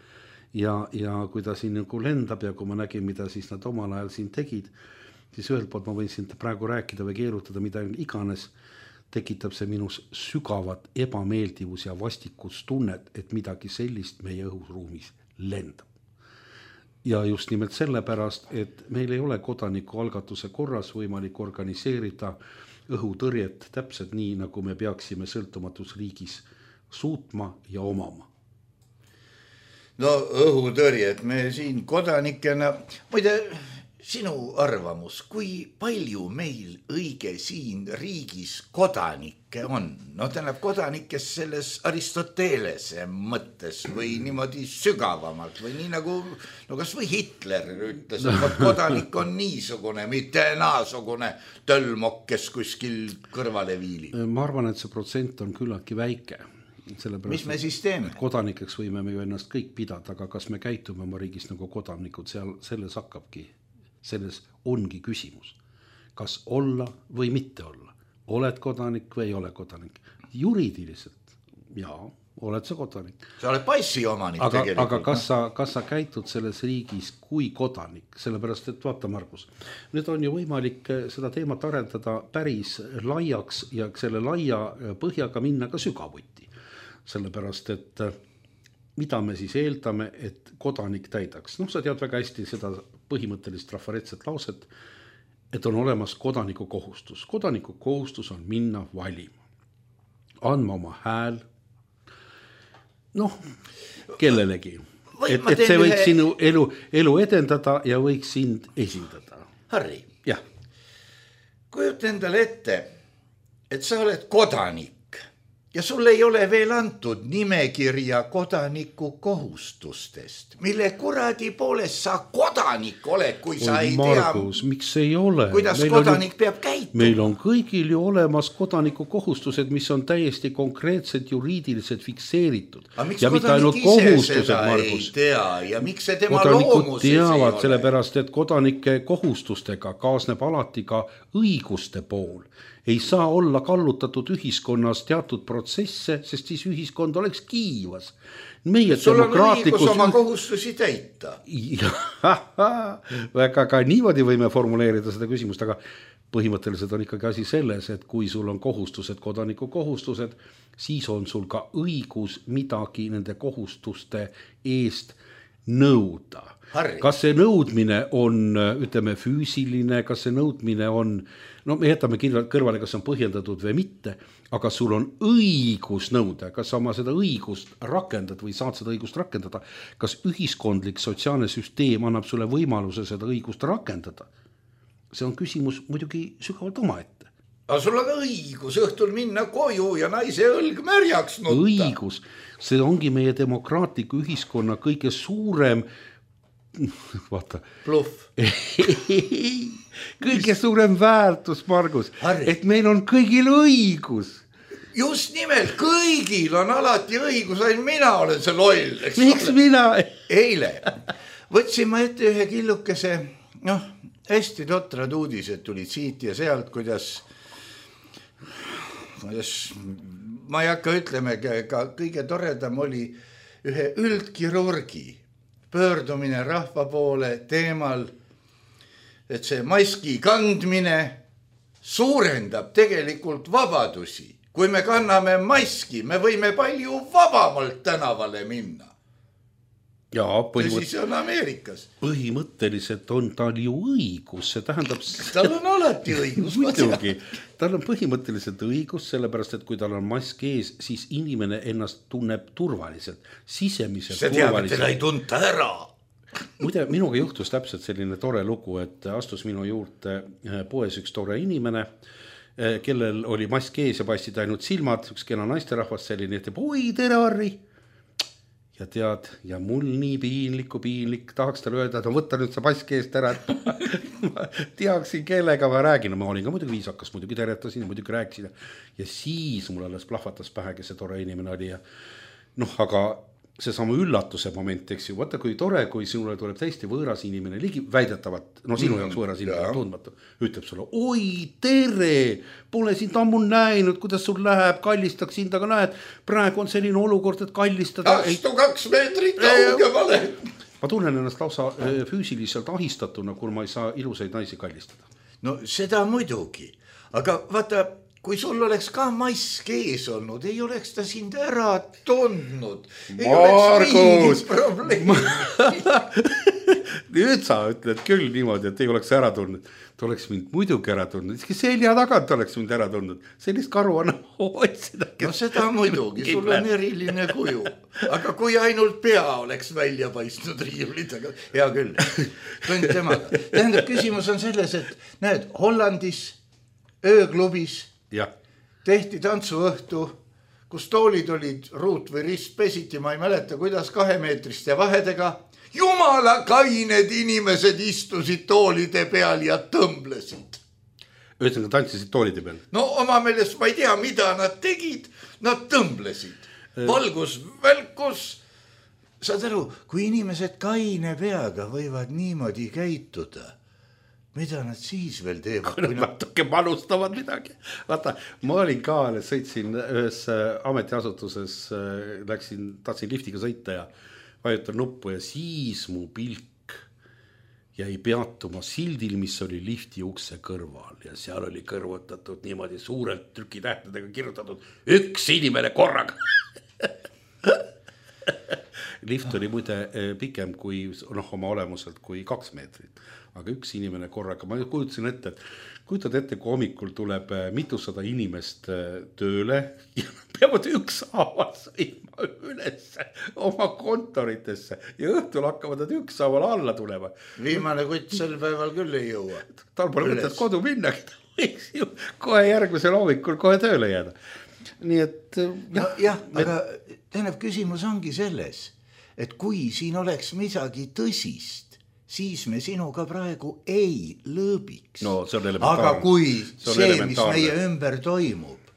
ja, ja kui ta siin nagu lendab ja kui ma nägin, mida siis nad omal ajal siin tegid, siis ühelt poolt ma võin siin praegu rääkida või keerutada, mida iganes, tekitab see minus sügavat ebameeldivus ja vastikustunnet, et midagi sellist meie õhuruumis lendab. Ja just nimelt sellepärast, et meil ei ole kodanikualgatuse korras võimalik organiseerida õhutõrjet täpselt nii, nagu me peaksime sõltumatus riigis suutma ja omama. No õhutõrjet me siin kodanikena, muide sinu arvamus, kui palju meil õige siin riigis kodanikke on? No tähendab kodanikes selles Aristotelese mõttes või niimoodi sügavamalt või nii nagu, no kas või Hitler ütles, et kodanik on niisugune, mitte naasugune tölmok, kes kuskil kõrvale viili. Ma arvan, et see protsent on küllaltki väike. Mis me siis teeme? Kodanikeks võime me ju ennast kõik pidada, aga kas me käitume oma riigis nagu kodanikud, seal, selles hakkabki. Selles ongi küsimus, kas olla või mitte olla. Oled kodanik või ei ole kodanik. Juriidiliselt, jaa, oled sa kodanik. Sa oled passi omanik aga, tegelikult. Aga kas sa, kas sa käitud selles riigis kui kodanik? Sellepärast, et vaata, Margus, nüüd on ju võimalik seda teemat arendada päris laiaks ja selle laia põhjaga minna ka sügavuti. Sellepärast, et mida me siis eeldame, et kodanik täidaks. Noh, sa tead väga hästi seda põhimõttelist trafaretset lauset, et on olemas kodaniku kohustus. Kodaniku kohustus on minna valima, andma oma hääl, noh, kellelegi. Et, et see võiks ühe... sinu elu, elu edendada ja võiks sind esindada. Harri, jah. Kujuta endale ette, et sa oled kodanik ja sul ei ole veel antud nimekirja kodaniku kohustustest, mille kuradi poolest sa kodanik oled, kui sa ei Margus, tea, miks ei ole? Kuidas meil kodanik on, peab käituma. Meil on kõigil ju olemas kodaniku kohustused, mis on täiesti konkreetselt juriidiliselt fikseeritud. Aga miks ja kodanik ise seda Margus? Ei tea ja miks see tema loomuses teavad, ei ole? Sellepärast, et kodanike kohustustega kaasneb alati ka õiguste pool. ei saa olla kallutatud ühiskonnas teatud protsesse, sest siis ühiskond oleks kiivas. Meie sul on õigus oma kohustusi täita. Väga ka niimoodi võime formuleerida seda küsimust, aga põhimõtteliselt on ikkagi asi selles, et kui sul on kohustused, kodaniku kohustused, siis on sul ka õigus midagi nende kohustuste eest nõuda. Harri. Kas see nõudmine on, ütleme, füüsiline, kas see nõudmine on, no me jätame kõrvale, kas see on põhjendatud või mitte, aga sul on õigus nõuda, kas sa oma seda õigust rakendad või saad seda õigust rakendada, kas ühiskondlik sotsiaalne süsteem annab sulle võimaluse seda õigust rakendada. See on küsimus muidugi sügavalt omaette. Aga sul on õigus õhtul minna koju ja naise õlg märjaks nutta. Õigus, see ongi meie demokraatliku ühiskonna kõige suurem vaata. Bluff. kõige suurem väärtus, Margus, Harri. Et meil on kõigil õigus. Just nimelt, kõigil on alati õigus, ainult mina olen see loll. Miks mina? Eile võtsin ma ette ühe killukese, noh, hästi totrad uudised tulid siit ja sealt, kuidas, kuidas ma ei hakka ütleme, ka kõige toredam oli ühe üldkirurgi pöördumine rahva poole teemal, et see maski kandmine suurendab tegelikult vabadusi. Kui me kanname maski, me võime palju vabamalt tänavale minna. Jaa, põhimõtt... siis on Ameerikas. Põhimõtteliselt on tal ju õigus, see tähendab... Tal on alati õigus. Muidugi, tal on põhimõtteliselt õigus, sellepärast, et kui tal on mask ees, siis inimene ennast tunneb turvaliselt, sisemiselt see turvaliselt. See teab, et teda ei tunta ära. Muide, minuga juhtus täpselt selline tore lugu, et astus minu juurde poes üks tore inimene, kellel oli mask ees ja paistid ainult silmad, üks kena naisterahvas selline, et oi, tere Harri! Ja tead, ja mul nii piinlikku piinlik, tahaks talle öelda, et no võtta nüüd see mask eest ära, et ma teaksin, kellega ma räägin. No, ma olin ka muidugi viisakas, muidugi teretasin ja muidugi rääkisin. Ja siis mul alles plahvatas pähe, kes see tore inimene oli. Ja noh, aga see sama üllatuse moment, eks ju, vaata kui tore, kui sinule tuleb täiesti võõras inimene, ligi väidetavat, no sinu jaoks võõras inimene tundmatu, ütleb sulle, oi, tere, pole sind ammu näinud, kuidas sul läheb, kallistaks sind, aga näed, praegu on selline olukord, et kallistada. Astu kaks meetrit kaugemale. Ma tunnen ennast lausa füüsiliselt ahistatuna, kui ma ei saa ilusaid naisi kallistada. No seda muidugi, aga vaata, kui sul oleks ka mask ees olnud, ei oleks ta sind ära tundnud. Ei Margus! oleks Nüüd sa ütled küll niimoodi, et ei oleks ära tundnud. Ta oleks mind muidugi ära tundnud. Iski selja tagant oleks mind ära tundnud. Sellist karu on otsida. No seda muidugi, sul on eriline kuju. Aga kui ainult pea oleks välja paistnud riivlid, aga hea küll. Tund temaga. Tähendab, küsimus on selles, et näed, Hollandis ööklubis ja. Tehti tantsuõhtu, kus toolid olid ruut või rist pesiti, ma ei mäleta, kuidas kahemeetriste vahedega. Jumala kained inimesed istusid toolide peal ja tõmblesid. Ühesõnaga tantsisid toolide peal? No oma meelest ma ei tea, mida nad tegid, nad tõmblesid. Valgus, välkus. Saad aru, kui inimesed kaine peaga võivad niimoodi käituda, mida nad siis veel teevad? Kui nad natuke manustavad midagi. Vaata, ma olin ka, sõitsin ühes ametiasutuses, läksin, tahtsin liftiga sõita ja vajutan nuppu ja siis mu pilk jäi peatuma sildil, mis oli lifti ukse kõrval ja seal oli kõrvutatud niimoodi suurelt trükitähtedega kirjutatud üks inimene korraga. Lift oli muide pikem kui noh, oma olemuselt kui kaks meetrit, aga üks inimene korraga, ma kujutasin ette, et kujutad ette, kui hommikul tuleb mitusada inimest tööle ja peavad üks haaval sõima üles oma kontoritesse ja õhtul hakkavad nad üks haaval alla tulema. Viimane kutt sel päeval küll ei jõua. Tal pole mõtet kodu minna, võiks ju kohe järgmisel hommikul kohe tööle jääda. Nii et jah, no, jah me... aga tähendab, küsimus ongi selles, et kui siin oleks midagi tõsist, siis me sinuga praegu ei lõõbiks. No, see on elementaarne. Aga kui see, see mis meie ümber toimub,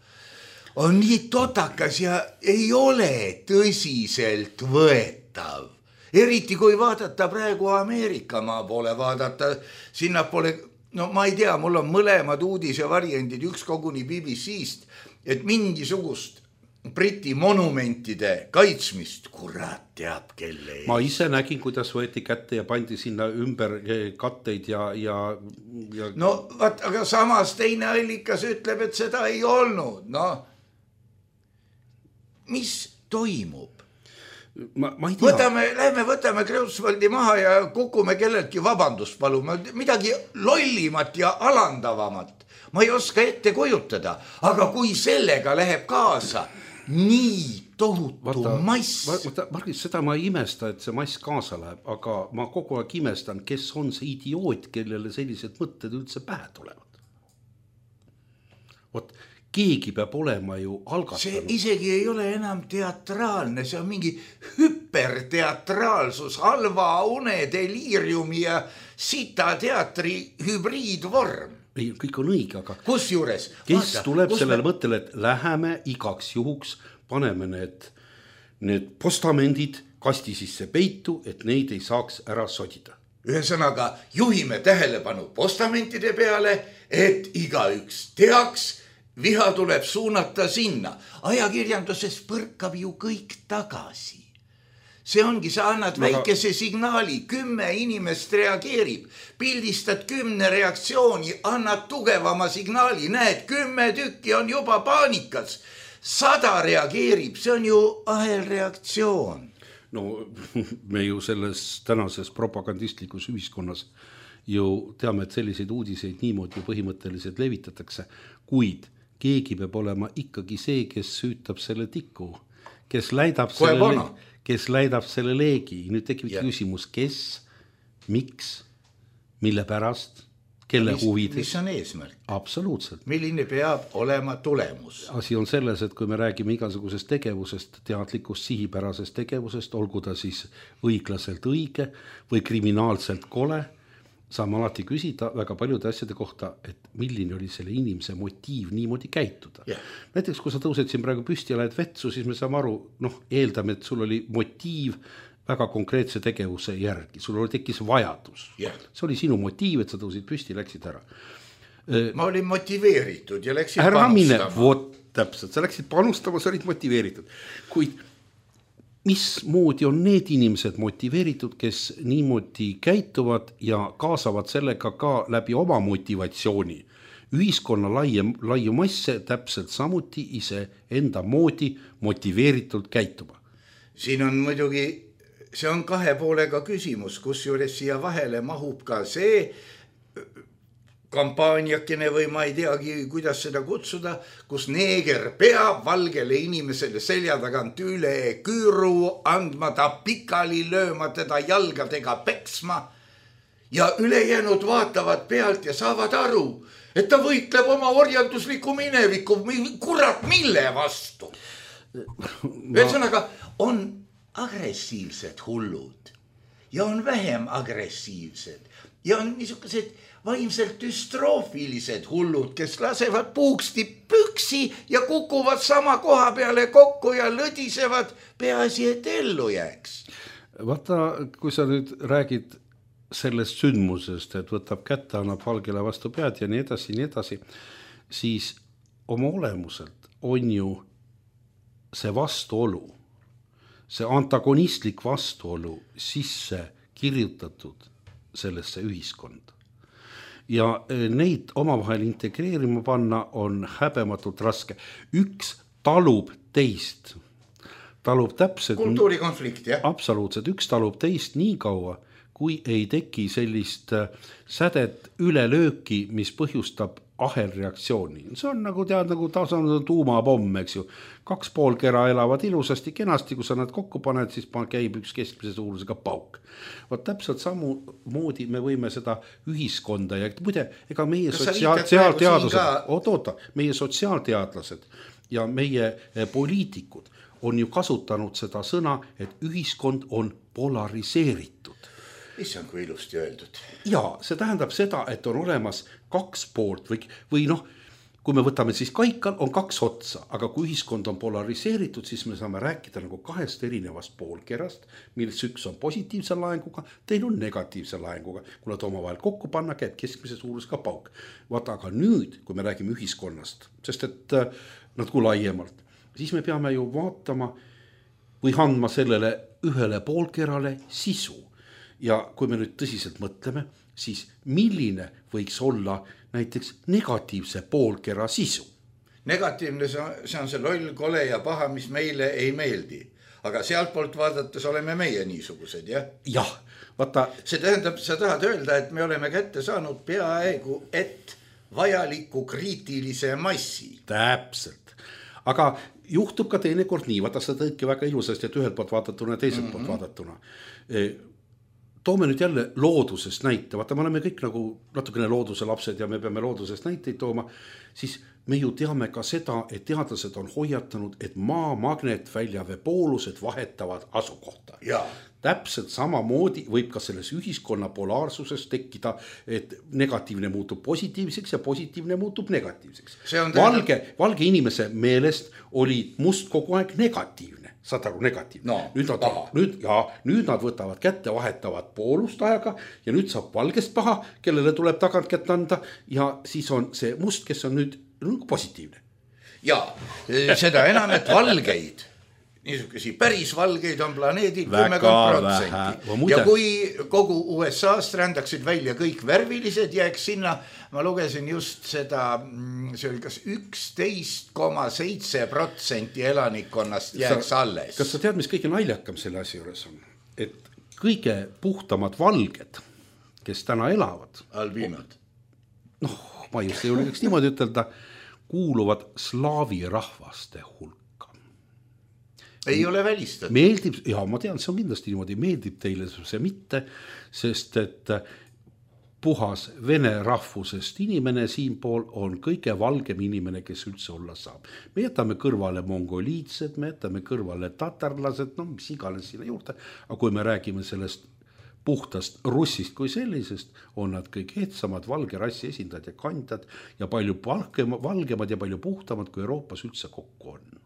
on nii totakas ja ei ole tõsiselt võetav. Eriti kui vaadata praegu Ameerika maa poole, vaadata sinna poole no ma ei tea, mul on mõlemad uudise variandid, üks koguni B B C-st, et mingisugust Briti monumentide kaitsmist, kurat teab kelle ees. Ma ise nägin, kuidas võeti kätte ja pandi sinna ümber katteid ja, ja, ja... No vaat, aga samas teine allikas ütleb, et seda ei olnud. No, mis toimub? Ma, ma ei tea. Võtame, lähme võtame Kreutzwaldi maha ja kukume kelleltki vabandust palume. Midagi lollimat ja alandavamat. Ma ei oska ette kujutada, aga kui sellega läheb kaasa nii tohutu vaata, mass. Vaata, Margit, seda ma ei imesta, et see mass kaasa läheb, aga ma kogu aeg imestan, kes on see idioot, kellele sellised mõtted üldse pähe tulevad. Vot, keegi peab olema ju algatanud. See isegi ei ole enam teatraalne, see on mingi hüperteatraalsus, halva une, deliiriumi ja sita teatri hübriidvorm. Ei, kõik on õige, aga kus juures? Kes vaata, tuleb sellele me... mõttele, et läheme igaks juhuks, paneme need, need postamendid kasti sisse peitu, et neid ei saaks ära sodida. Ühesõnaga, juhime tähelepanu postamentide peale, et igaüks teaks, viha tuleb suunata sinna. Ajakirjanduses põrkab ju kõik tagasi. See ongi, sa annad Aga... väikese signaali, kümme inimest reageerib, pildistad kümne reaktsiooni, annad tugevama signaali, näed, kümme tükki on juba paanikas, sada reageerib, see on ju ahelreaktsioon. No me ju selles tänases propagandistlikus ühiskonnas ju teame, et selliseid uudiseid niimoodi põhimõtteliselt levitatakse, kuid keegi peab olema ikkagi see, kes süütab selle tiku, kes läidab Koe selle, kes läidab selle leegi. Nüüd tekib ja. küsimus, kes, miks, mille pärast, kelle mis, huvides. Mis on eesmärk? Absoluutselt. Milline peab olema tulemus? Asi on selles, et kui me räägime igasugusest tegevusest, teadlikust sihipärasest tegevusest, olgu ta siis õiglaselt õige või kriminaalselt kole, saame alati küsida väga paljude asjade kohta, et milline oli selle inimese motiiv niimoodi käituda. Yeah. Näiteks, kui sa tõused siin praegu püsti ja lähed vetsu, siis me saame aru, noh, eeldame, et sul oli motiiv väga konkreetse tegevuse järgi. Sul oli tekkis vajadus. Yeah. See oli sinu motiiv, et sa tõusid püsti ja läksid ära. Ma olin motiveeritud ja läksid ära panustama. Mine, vot täpselt, sa läksid panustama, sa olid motiveeritud. Kuid mismoodi on need inimesed motiveeritud, kes niimoodi käituvad ja kaasavad sellega ka läbi oma motivatsiooni. Ühiskonna laie, laiu masse täpselt samuti ise enda moodi motiveeritult käituma. Siin on muidugi, see on kahe poolega küsimus, kus juures siia vahele mahub ka see kampaaniakene või ma ei teagi, kuidas seda kutsuda, kus neeger peab valgele inimesele selja tagant üle küüru andma, ta pikali lööma, teda jalgadega peksma ja ülejäänud vaatavad pealt ja saavad aru, et ta võitleb oma orjandusliku mineviku, kurat mille vastu. Ühesõnaga on agressiivsed hullud ja on vähem agressiivsed ja on niisugused vaimselt düstroofilised hullud, kes lasevad puuksti püksi ja kukuvad sama koha peale kokku ja lõdisevad, peaasi, et ellu jääks. Vaata, kui sa nüüd räägid sellest sündmusest, et võtab kätte, annab valgele vastu pead ja nii edasi, nii edasi, siis oma olemuselt on ju see vastuolu, see antagonistlik vastuolu sisse kirjutatud sellesse ühiskonda. Ja neid omavahel integreerima panna on häbematult raske. Üks talub teist. Talub täpselt... Kultuurikonflikt, jah? Absoluutselt. Üks talub teist nii kaua, kui ei teki sellist sädet ülelööki, mis põhjustab ahelreaktsiooni. See on nagu tead, nagu tasandus tuumapomm, eks ju. Kaks pool kera elavad ilusasti, kenasti, kui sa nad kokku paned, siis käib üks keskmise suurusega pauk. Vaat täpselt samu moodi me võime seda ühiskonda ja muide, ega meie sotsiaalteadlased, oot, oota, meie sotsiaalteadlased ja meie poliitikud on ju kasutanud seda sõna, et ühiskond on polariseeritud. Issand, kui ilusti öeldud. Ja see tähendab seda, et on olemas kaks poolt või, või noh, kui me võtame siis kaikal on kaks otsa, aga kui ühiskond on polariseeritud, siis me saame rääkida nagu kahest erinevast poolkerast, millest üks on positiivse laenguga, teine on negatiivse laenguga. Kui nad omavahel kokku panna, käib keskmise suurusega pauk. Vaata, aga nüüd, kui me räägime ühiskonnast, sest et natuke laiemalt, siis me peame ju vaatama või andma sellele ühele poolkerale sisu. Ja kui me nüüd tõsiselt mõtleme, siis milline võiks olla näiteks negatiivse poolkera sisu? Negatiivne see on see loll, kole ja paha, mis meile ei meeldi. Aga sealt poolt vaadates oleme meie niisugused, jah? Jah, vaata. See tähendab, sa tahad öelda, et me oleme kätte saanud peaaegu et vajaliku kriitilise massi. Täpselt. Aga juhtub ka teinekord nii, vaata sa tõidki väga ilusasti, et ühelt poolt vaadatuna ja teiselt mm-hmm. poolt vaadatuna. Toome nüüd jälle loodusest näite, vaata me oleme kõik nagu natukene looduse lapsed ja me peame loodusest näiteid tooma, siis me ju teame ka seda, et teadlased on hoiatanud, et maa magnetvälja poolused vahetavad asukohta. Ja. Täpselt samamoodi võib ka selles ühiskonna polaarsuses tekkida, et negatiivne muutub positiivseks ja positiivne muutub negatiivseks. Valge, valge inimese meelest oli must kogu aeg negatiivne, saad aru, negatiivne. No, nüüd, nad, nüüd, ja, nüüd nad võtavad kätte, vahetavad poolust ajaga ja nüüd saab valgest paha, kellele tuleb tagant kätt anda ja siis on see must, kes on nüüd positiivne. Ja seda enam, et valgeid niisugusi päris valgeid on planeedid kümmekond protsenti. Ja kui kogu U S A-st rändaksid välja kõik värvilised, jääks sinna, ma lugesin just seda, see oli kas üksteist koma seitse protsenti elanikkonnast jääks sa, alles. Kas sa tead, mis kõige naljakam selle asja juures on? Et kõige puhtamad valged, kes täna elavad. Albinod. Noh, ma just ei julgeks niimoodi ütelda, kuuluvad slaavi rahvaste hulka. Ei ole välistatud. Meeldib, ja ma tean, see on kindlasti niimoodi, meeldib teile see mitte, sest et puhas vene rahvusest inimene siinpool on kõige valgem inimene, kes üldse olla saab. Me jätame kõrvale mongoliitsed, me jätame kõrvale tatarlased, no mis iganes sinna juurde, aga kui me räägime sellest puhtast russist kui sellisest, on nad kõik ehtsamad valge rassi esindajad ja kandjad ja palju valgemad ja palju puhtamad, kui Euroopas üldse kokku on.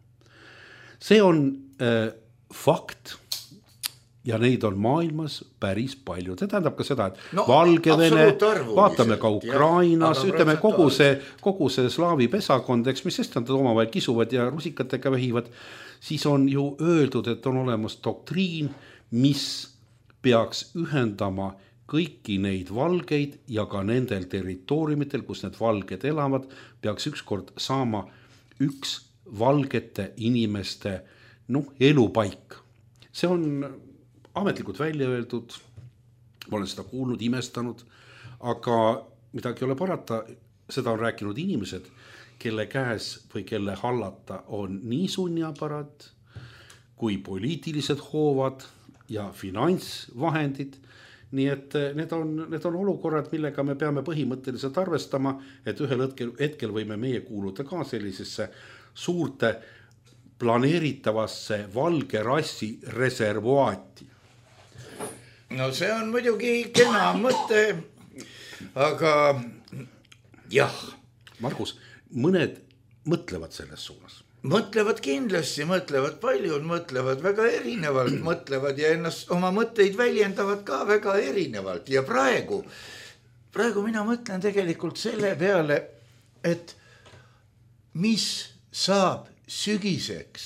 See on äh, fakt ja neid on maailmas päris palju. See tähendab ka seda, et no, Valgevene, vaatame ka Ukrainas, jah, ütleme kogu see, kogu see slaavi pesakond, eks, mis sest nad omavahel kisuvad ja rusikatega vehivad, siis on ju öeldud, et on olemas doktriin, mis peaks ühendama kõiki neid valgeid ja ka nendel territooriumitel, kus need valged elavad, peaks ükskord saama üks valgete inimeste noh, elupaik. See on ametlikult välja öeldud, ma olen seda kuulnud, imestanud, aga midagi ei ole parata, seda on rääkinud inimesed, kelle käes või kelle hallata on nii sunniaparaat kui poliitilised hoovad ja finantsvahendid. Nii et need on, need on olukorrad, millega me peame põhimõtteliselt arvestama, et ühel hetkel, hetkel võime meie kuuluda ka sellisesse suurte planeeritavasse valge rassi reservuaati. No see on muidugi kena mõte, aga jah. Margus, mõned mõtlevad selles suunas. Mõtlevad kindlasti, mõtlevad paljud, mõtlevad väga erinevalt, mõtlevad ja ennast oma mõtteid väljendavad ka väga erinevalt. Ja praegu, praegu mina mõtlen tegelikult selle peale, et mis saab sügiseks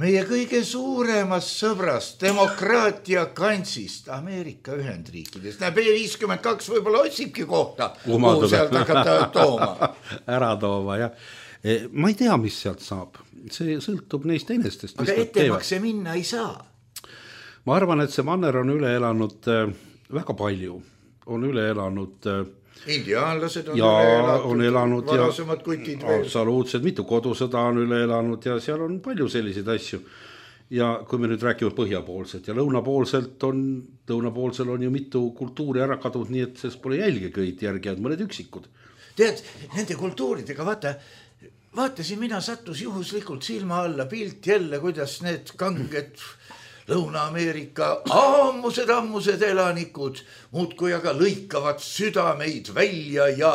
meie kõige suuremast sõbrast demokraatia kansist Ameerika Ühendriikides. Näe, B viiskümmend kaks võib-olla otsibki kohta, kuhu sealt hakata tooma. Ära tooma, jah. Ma ei tea, mis sealt saab. See sõltub neist enestest. Aga ettemakse minna ei saa. Ma arvan, et see manner on üle elanud väga palju. On üle elanud indiaanlased on ja üle elatud, on elanud varasemad kutid veel. Absoluutselt, mitu kodusõda on üle elanud ja seal on palju selliseid asju. Ja kui me nüüd räägime põhjapoolselt ja lõunapoolselt on, lõunapoolsel on ju mitu kultuuri ära kadunud, nii et sest pole jälge kõid järgi, et mõned üksikud. Tead, nende kultuuridega, vaata, vaatasin, mina sattus juhuslikult silma alla pilt jälle, kuidas need kanged Lõuna-Ameerika ammused, ammused elanikud muudkui aga lõikavad südameid välja ja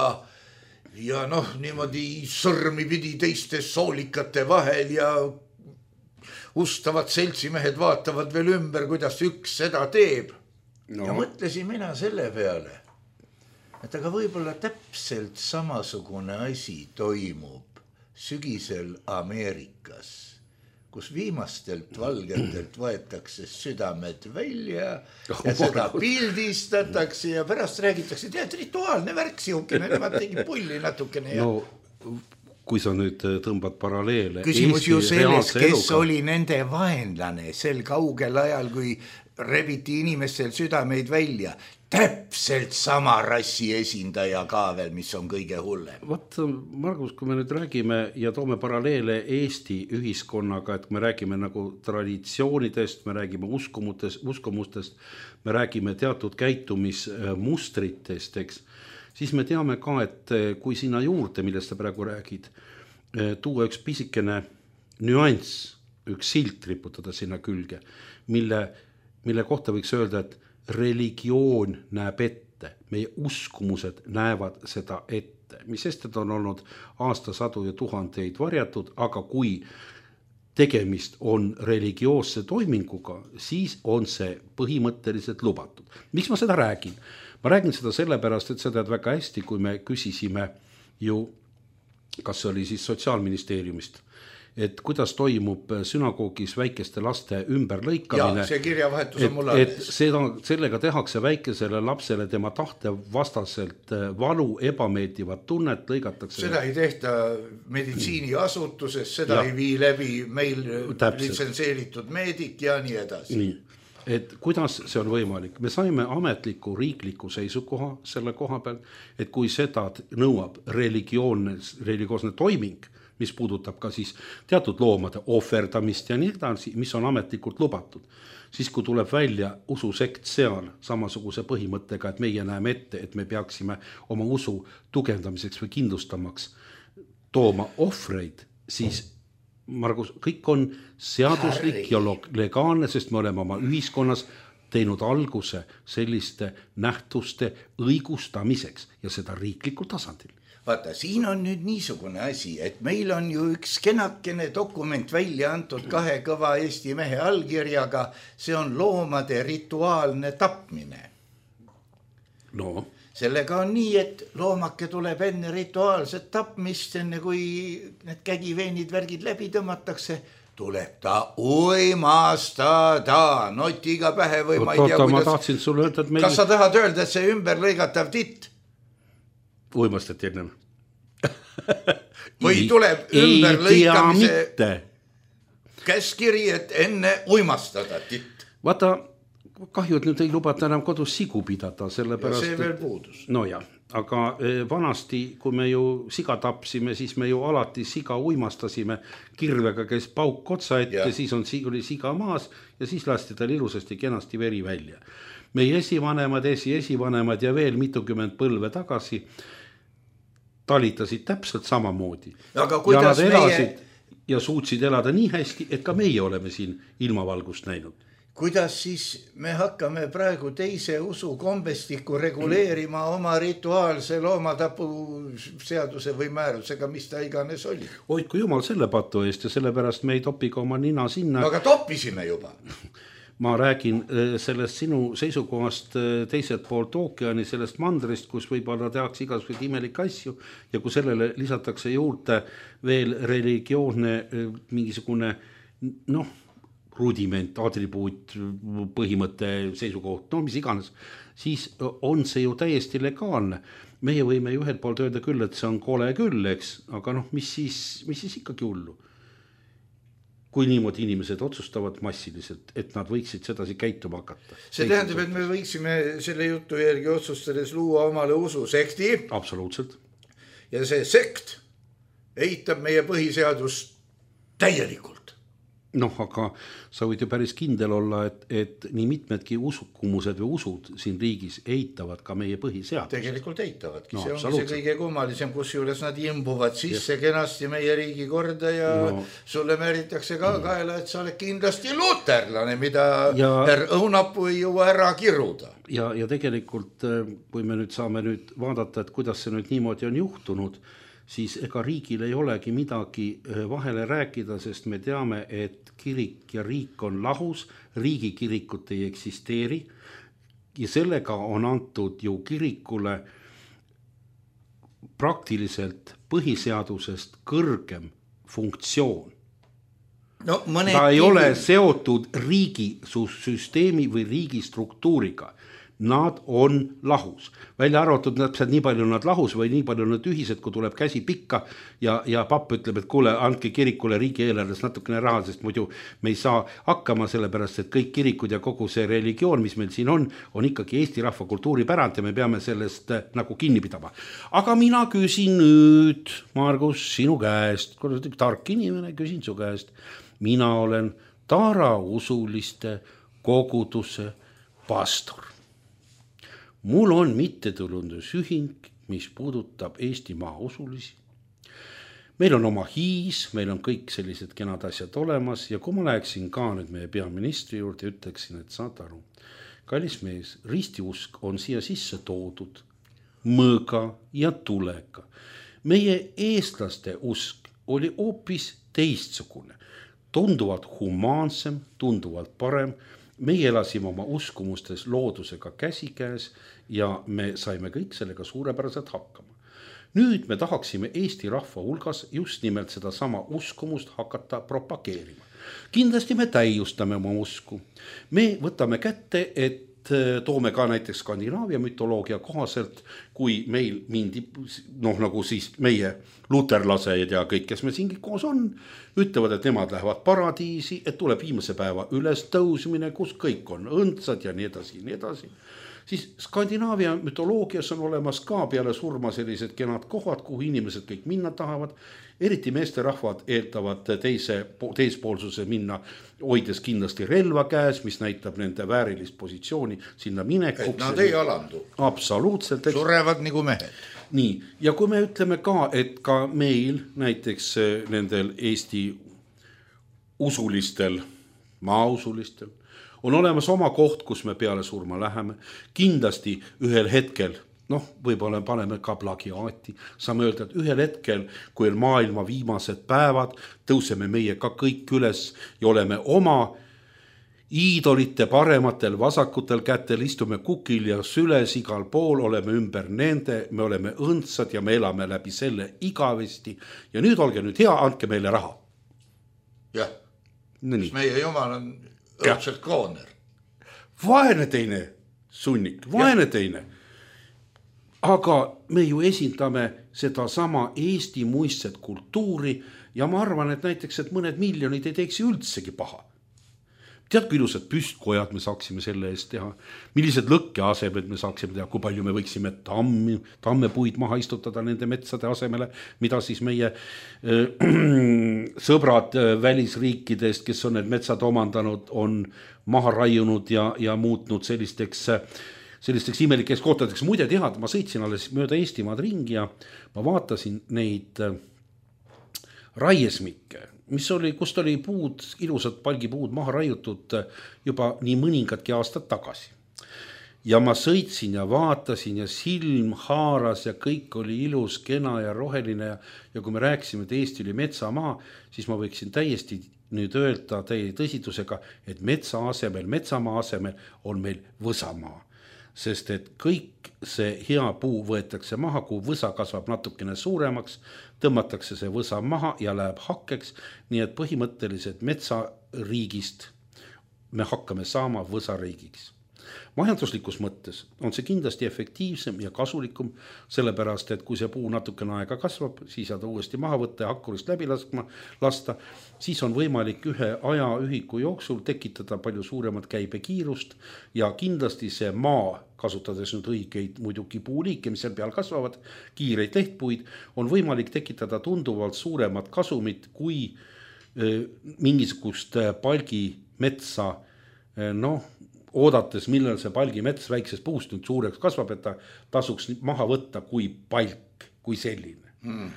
ja noh, niimoodi sõrmi pidi teiste soolikate vahel ja ustavad seltsimehed vaatavad veel ümber, kuidas üks seda teeb. No. Ja mõtlesin mina selle peale, et aga võib-olla täpselt samasugune asi toimub sügisel Ameerikas, kus viimastelt valgetelt võetakse südamed välja ja seda pildistatakse ja pärast räägitakse, tead, rituaalne värk siukene, nemad tegi pulli natukene. Ja... No, kui sa nüüd tõmbad paralleele. Küsimus ju selles, kes eluga. Oli nende vaenlane sel kaugel ajal, kui rebiti inimestel südameid välja. Täpselt sama rassi esindaja ka veel, mis on kõige hullem. Vaat, Margus, kui me nüüd räägime ja toome paralleele Eesti ühiskonnaga, et me räägime nagu traditsioonidest, me räägime uskumutest, uskumustest, me räägime teatud käitumismustritest, eks, siis me teame ka, et kui sinna juurde, millest sa praegu räägid, tuua üks pisikene nüanss, üks silt riputada sinna külge, mille, mille kohta võiks öelda, et religioon näeb ette, meie uskumused näevad seda ette, mis sest on olnud aastasadu ja tuhandeid varjatud, aga kui tegemist on religioosse toiminguga, siis on see põhimõtteliselt lubatud. Miks ma seda räägin? Ma räägin seda sellepärast, et sa tead väga hästi, kui me küsisime ju, kas see oli siis Sotsiaalministeeriumist, et kuidas toimub sünagoogis väikeste laste ümberlõikamine. Ja, see kirjavahetus on mul alles. Et seda, sellega tehakse väikesele lapsele tema tahte vastaselt valu, ebameeldivat tunnet, lõigatakse. Seda ei tehta meditsiiniasutuses, seda ja. Ei vii läbi meil litsenseeritud meedik ja nii edasi. Nii. Et kuidas see on võimalik? Me saime ametliku riikliku seisukoha selle koha peal, et kui seda nõuab religioosne, religioosne toiming, mis puudutab ka siis teatud loomade ohverdamist ja nii edasi, mis on ametlikult lubatud. Siis kui tuleb välja ususekt seal samasuguse põhimõttega, et meie näeme ette, et me peaksime oma usu tugevdamiseks või kindlustamaks tooma ohvreid, siis Margus, kõik on seaduslik ja legaalne, sest me oleme oma ühiskonnas teinud alguse selliste nähtuste õigustamiseks ja seda riiklikul tasandil. Vaata, siin on nüüd niisugune asi, et meil on ju üks kenakene dokument välja antud kahe kõva Eesti mehe allkirjaga, see on loomade rituaalne tapmine. No. Sellega on nii, et loomake tuleb enne rituaalset tapmist, enne kui need kägiveenid värgid läbi tõmmatakse, tuleb ta uimastada notiga pähe või Oot, ma ei tea, oota, kuidas... Ma tahtsin sulle öelda, et meil... Kas sa tahad öelda, et see ümber lõigatav titt? Uimastati ennem. Või tuleb ümber lõikamise käskiri, et enne uimastada titt. Vaata, kahju, et nüüd ei lubata enam kodus sigu pidada, sellepärast... Ja see veel puudus. No jah, aga vanasti, kui me ju siga tapsime, siis me ju alati siga uimastasime kirvega, kes pauk otsa ette, ja. Siis on, oli siga maas ja siis lasti tal ilusasti kenasti veri välja. Meie esivanemad, esi esivanemad ja veel mitukümmend põlve tagasi talitasid täpselt samamoodi. Aga kuidas ja nad elasid meie... ja suutsid elada nii hästi, et ka meie oleme siin ilmavalgust näinud. Kuidas siis me hakkame praegu teise usu kombestikku reguleerima oma rituaalse loomatapu seaduse või määrusega, mis ta iganes oli? Hoidku jumal selle patu eest ja sellepärast me ei topi ka oma nina sinna. Aga toppisime juba. Ma räägin sellest sinu seisukohast teiselt poolt ookeani, sellest mandrist, kus võib-olla tehakse igasugused imelikke asju ja kui sellele lisatakse juurde veel religioosne mingisugune noh, rudiment, atribuut, põhimõtte, seisukoht, no mis iganes, siis on see ju täiesti legaalne. Meie võime ju ühelt poolt öelda küll, et see on kole küll, eks, aga noh, mis siis, mis siis ikkagi hullu? Kui niimoodi inimesed otsustavad massiliselt, et nad võiksid sedasi käituma hakata. See tähendab, et me võiksime selle jutu järgi otsustades luua omale ususekti. Absoluutselt. Ja see sekt eitab meie põhiseadust täielikult. noh, aga sa võid ju päris kindel olla, et, et nii mitmedki usukumused või usud siin riigis eitavad ka meie põhiseadust. Tegelikult eitavadki, no, see on see kõige kummalisem, kus juures nad imbuvad sisse yes. kenasti meie riigi korda ja no. sulle määritakse ka kaela, et sa oled kindlasti luterlane, mida ja... õunapuu ei jõua ära kiruda. Ja, ja tegelikult, kui me nüüd saame nüüd vaadata, et kuidas see nüüd niimoodi on juhtunud, siis ega riigil ei olegi midagi vahele rääkida, sest me teame, et kirik ja riik on lahus, riigikirikut ei eksisteeri ja sellega on antud ju kirikule praktiliselt põhiseadusest kõrgem funktsioon. No, ta ei ole seotud riigi süsteemi või riigi struktuuriga. Nad on lahus. Välja arvatud täpselt nii palju nad lahus või nii palju nad ühised, kui tuleb käsi pikka ja, ja papp ütleb, et kuule, andke kirikule riigi eelarves natukene raha, sest muidu me ei saa hakkama, sellepärast, et kõik kirikud ja kogu see religioon, mis meil siin on, on ikkagi Eesti rahva kultuuripärand ja me peame sellest nagu kinni pidama. Aga mina küsin nüüd, Margus, sinu käest, kui oled tark inimene, küsin su käest. Mina olen Tara usuliste koguduse pastor. Mul on mittetulundusühing, mis puudutab Eestimaa usulisi. Meil on oma hiis, meil on kõik sellised kenad asjad olemas ja kui ma läheksin ka nüüd meie peaministri juurde, ütleksin, et saad aru, kallis mees, ristiusk on siia sisse toodud mõõga ja tulega. Meie eestlaste usk oli hoopis teistsugune, tunduvalt humaansem, tunduvalt parem. Meie elasime oma uskumustes loodusega käsikäes ja me saime kõik sellega suurepäraselt hakkama. Nüüd me tahaksime Eesti rahva hulgas just nimelt seda sama uskumust hakata propageerima. Kindlasti me täiustame oma usku. Me võtame kätte, et toome ka näiteks Skandinaavia mütoloogia kohaselt, kui meil mindi, noh nagu siis meie luterlased ja kõik, kes me siingi koos on, ütlevad, et nemad lähevad paradiisi, et tuleb viimase päeva üles tõusmine, kus kõik on õndsad ja nii edasi, nii edasi. Siis Skandinaavia mütoloogias on olemas ka peale surma sellised kenad kohad, kuhu inimesed kõik minna tahavad. Eriti meesterahvad eeltavad teise, teispoolsuse minna, hoides kindlasti relva käes, mis näitab nende väärilist positsiooni sinna minekuks. Et nad ei alandu. Absoluutselt. Surevad nagu mehed. Nii, ja kui me ütleme ka, et ka meil näiteks nendel Eesti usulistel, maausulistel, on olemas oma koht, kus me peale surma läheme. Kindlasti ühel hetkel, noh, võib-olla paneme ka plagiaati, saame öelda, et ühel hetkel, kui on maailma viimased päevad, tõuseme meie ka kõik üles ja oleme oma iidolite parematel vasakutel kätel, istume kukil ja süles igal pool, oleme ümber nende, me oleme õndsad ja me elame läbi selle igavesti ja nüüd olge nüüd hea, andke meile raha. Jah, mis meie jumal on õudselt krooner. Vaene teine sunnik, vaene ja. Teine. Aga me ju esindame seda sama Eesti muistset kultuuri ja ma arvan, et näiteks, et mõned miljonid ei teeks üldsegi paha. Tead, kui ilusad püstkojad me saaksime selle eest teha, millised lõkke asemed me saaksime teha, kui palju me võiksime tammi, tammepuid maha istutada nende metsade asemele, mida siis meie äh, sõbrad äh, välisriikidest, kes on need metsad omandanud, on maha raiunud ja, ja muutnud sellisteks, sellisteks imelikeks kohtadeks. Muide tead, ma sõitsin alles mööda Eestimaad ringi ja ma vaatasin neid äh, raiesmikke, mis oli, kust oli puud, ilusad palgipuud maha raiutud juba nii mõningadki aastad tagasi. Ja ma sõitsin ja vaatasin ja silm haaras ja kõik oli ilus, kena ja roheline ja, ja kui me rääkisime, et Eesti oli metsamaa, siis ma võiksin täiesti nüüd öelda teie tõsidusega, et metsa asemel, metsamaa asemel on meil võsamaa. Sest et kõik see hea puu võetakse maha, kui võsa kasvab natukene suuremaks, tõmmatakse see võsa maha ja läheb hakkeks, nii et põhimõtteliselt metsariigist me hakkame saama võsariigiks. Majanduslikus mõttes on see kindlasti efektiivsem ja kasulikum, sellepärast, et kui see puu natukene aega kasvab, siis saad uuesti maha võtta ja hakkurist läbi laskma, lasta, siis on võimalik ühe aja ühiku jooksul tekitada palju suuremat käibekiirust ja kindlasti see maa, kasutades nüüd õigeid muidugi puuliike, mis seal peal kasvavad, kiireid lehtpuid, on võimalik tekitada tunduvalt suuremat kasumit, kui mingisugust palgimetsa, noh, oodates, millal see palgimets väiksest puust nüüd suureks kasvab, et ta tasuks maha võtta kui palk, kui selline. Hmm.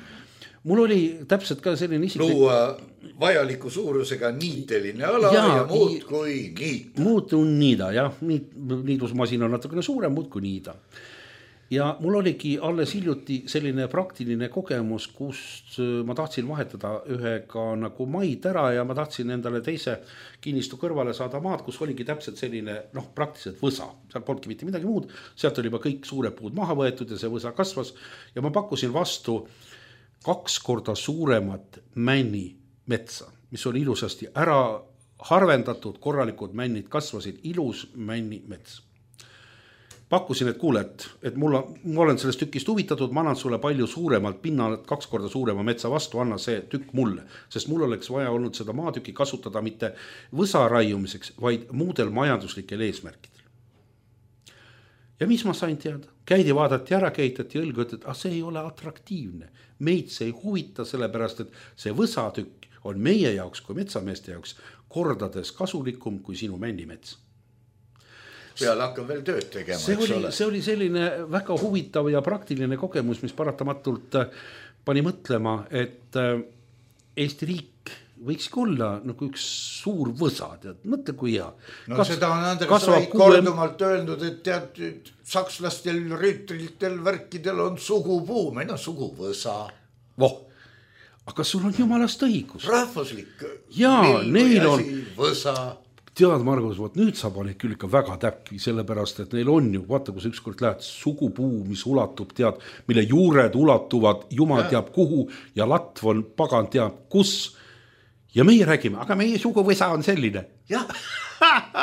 Mul oli täpselt ka selline isiklik... Luua vajaliku suurusega niiteline ala ja, ja muud kui niita. Muud kui niida, jah. Niidusmasin on natukene suurem, muud kui niida. Ja mul oligi alles hiljuti selline praktiline kogemus, kus ma tahtsin vahetada ühega nagu maid ära ja ma tahtsin endale teise kinnistu kõrvale saada maad, kus oligi täpselt selline, noh, praktiliselt võsa. Seal polnudki mitte midagi muud. Sealt oli juba kõik suured puud maha võetud ja see võsa kasvas ja ma pakkusin vastu kaks korda suuremat männi metsa, mis oli ilusasti ära harvendatud, korralikud männid kasvasid, ilus männi mets. Pakkusin, et kuule, et, et mul on, ma olen sellest tükist huvitatud, ma annan sulle palju suuremalt pinnalt, kaks korda suurema metsa vastu, anna see tükk mulle, sest mul oleks vaja olnud seda maatükki kasutada mitte võsa raiumiseks, vaid muudel majanduslikel eesmärkidel. Ja mis ma sain teada? Käidi vaadati ära, keitati õlgu, et ah, see ei ole atraktiivne. Meid see ei huvita sellepärast, et see võsatükk on meie jaoks kui metsameeste jaoks kordades kasulikum kui sinu männimets. Peale hakkab veel tööd tegema, see oli, see oli selline väga huvitav ja praktiline kogemus, mis paratamatult pani mõtlema, et Eesti riik võiks olla nagu üks suur võsa, tead, mõtle kui hea. No Kas, seda on Andres Vaid kordumalt öelnud, et tead, sakslastel, rüütritel, värkidel on sugupuu, meil on suguvõsa. Voh, aga sul on jumalast õigus. Rahvuslik. Jaa, neil on võsa. Tead, Margus, võt, nüüd sa paned küll ikka väga täpki, sellepärast, et neil on ju, vaata, kui sa ükskord lähed sugupuu, mis ulatub, tead, mille juured ulatuvad, jumal ja. Teab kuhu ja latv on pagan teab kus. Ja meie räägime, aga meie suguvõsa on selline. Jah.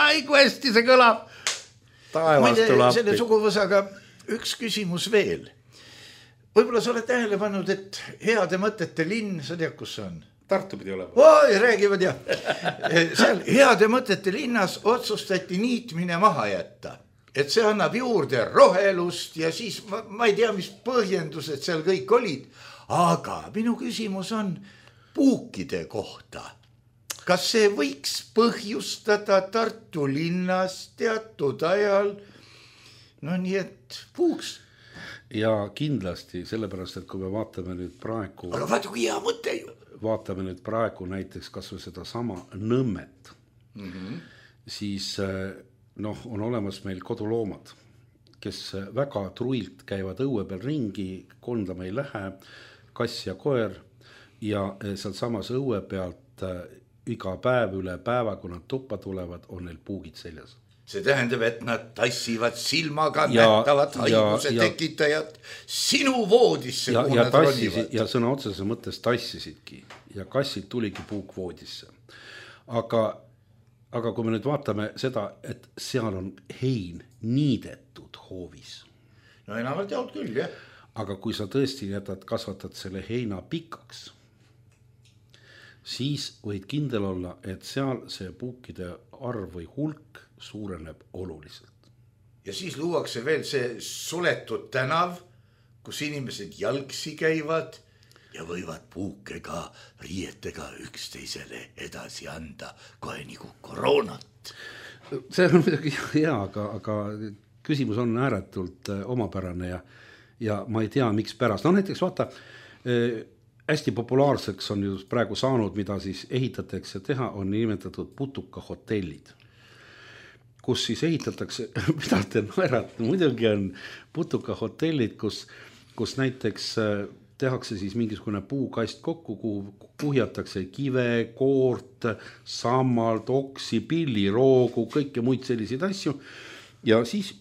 Ai, kui hästi see kõlab. Taevast tuleb. Selle suguvõsaga üks küsimus veel. Võib-olla sa oled tähele pannud, et heade mõtete linn, sa tead, kus see on? Tartu pidi olema. Oi, räägivad jah. Seal heade mõtete linnas otsustati niitmine maha jätta. Et see annab juurde rohelust ja siis ma, ma ei tea, mis põhjendused seal kõik olid. Aga minu küsimus on puukide kohta. Kas see võiks põhjustada Tartu linnas teatud ajal? No nii, et puuks. Ja kindlasti, sellepärast, et kui me vaatame nüüd praegu... Aga vaata, kui hea mõte ju. Vaatame nüüd praegu näiteks kas või seda sama Nõmmet, mm-hmm. siis noh, on olemas meil koduloomad, kes väga truilt käivad õue peal ringi, kondama ei lähe, kass ja koer ja seal samas õue pealt iga päev üle päeva, kui nad tuppa tulevad, on neil puugid seljas. See tähendab, et nad tassivad silmaga ja, nähtavad haiguse ja, tekitajad sinu voodisse. Ja, ja, tassisid, ja sõna otseses mõttes tassisidki ja kassid tuligi puuk voodisse. Aga, aga kui me nüüd vaatame seda, et seal on hein niidetud hoovis. No enamalt jaolt küll, jah. Aga kui sa tõesti jätad, kasvatad selle heina pikaks, siis võid kindel olla, et seal see puukide arv või hulk suureneb oluliselt. Ja siis luuakse veel see suletud tänav, kus inimesed jalgsi käivad ja võivad puukega, riietega üksteisele edasi anda kohe nagu koroonat. See on midagi hea, aga, aga küsimus on ääretult omapärane ja, ja ma ei tea, miks pärast. No näiteks vaata, hästi populaarseks on ju praegu saanud, mida siis ehitatakse teha, on nimetatud putuka hotellid, kus siis ehitatakse, mida te naerate, muidugi on putuka hotellid, kus, kus näiteks tehakse siis mingisugune puukast kokku, kuhu kuhjatakse kive, koort, sammalt, oksi, pilli, roogu, kõike muid selliseid asju ja siis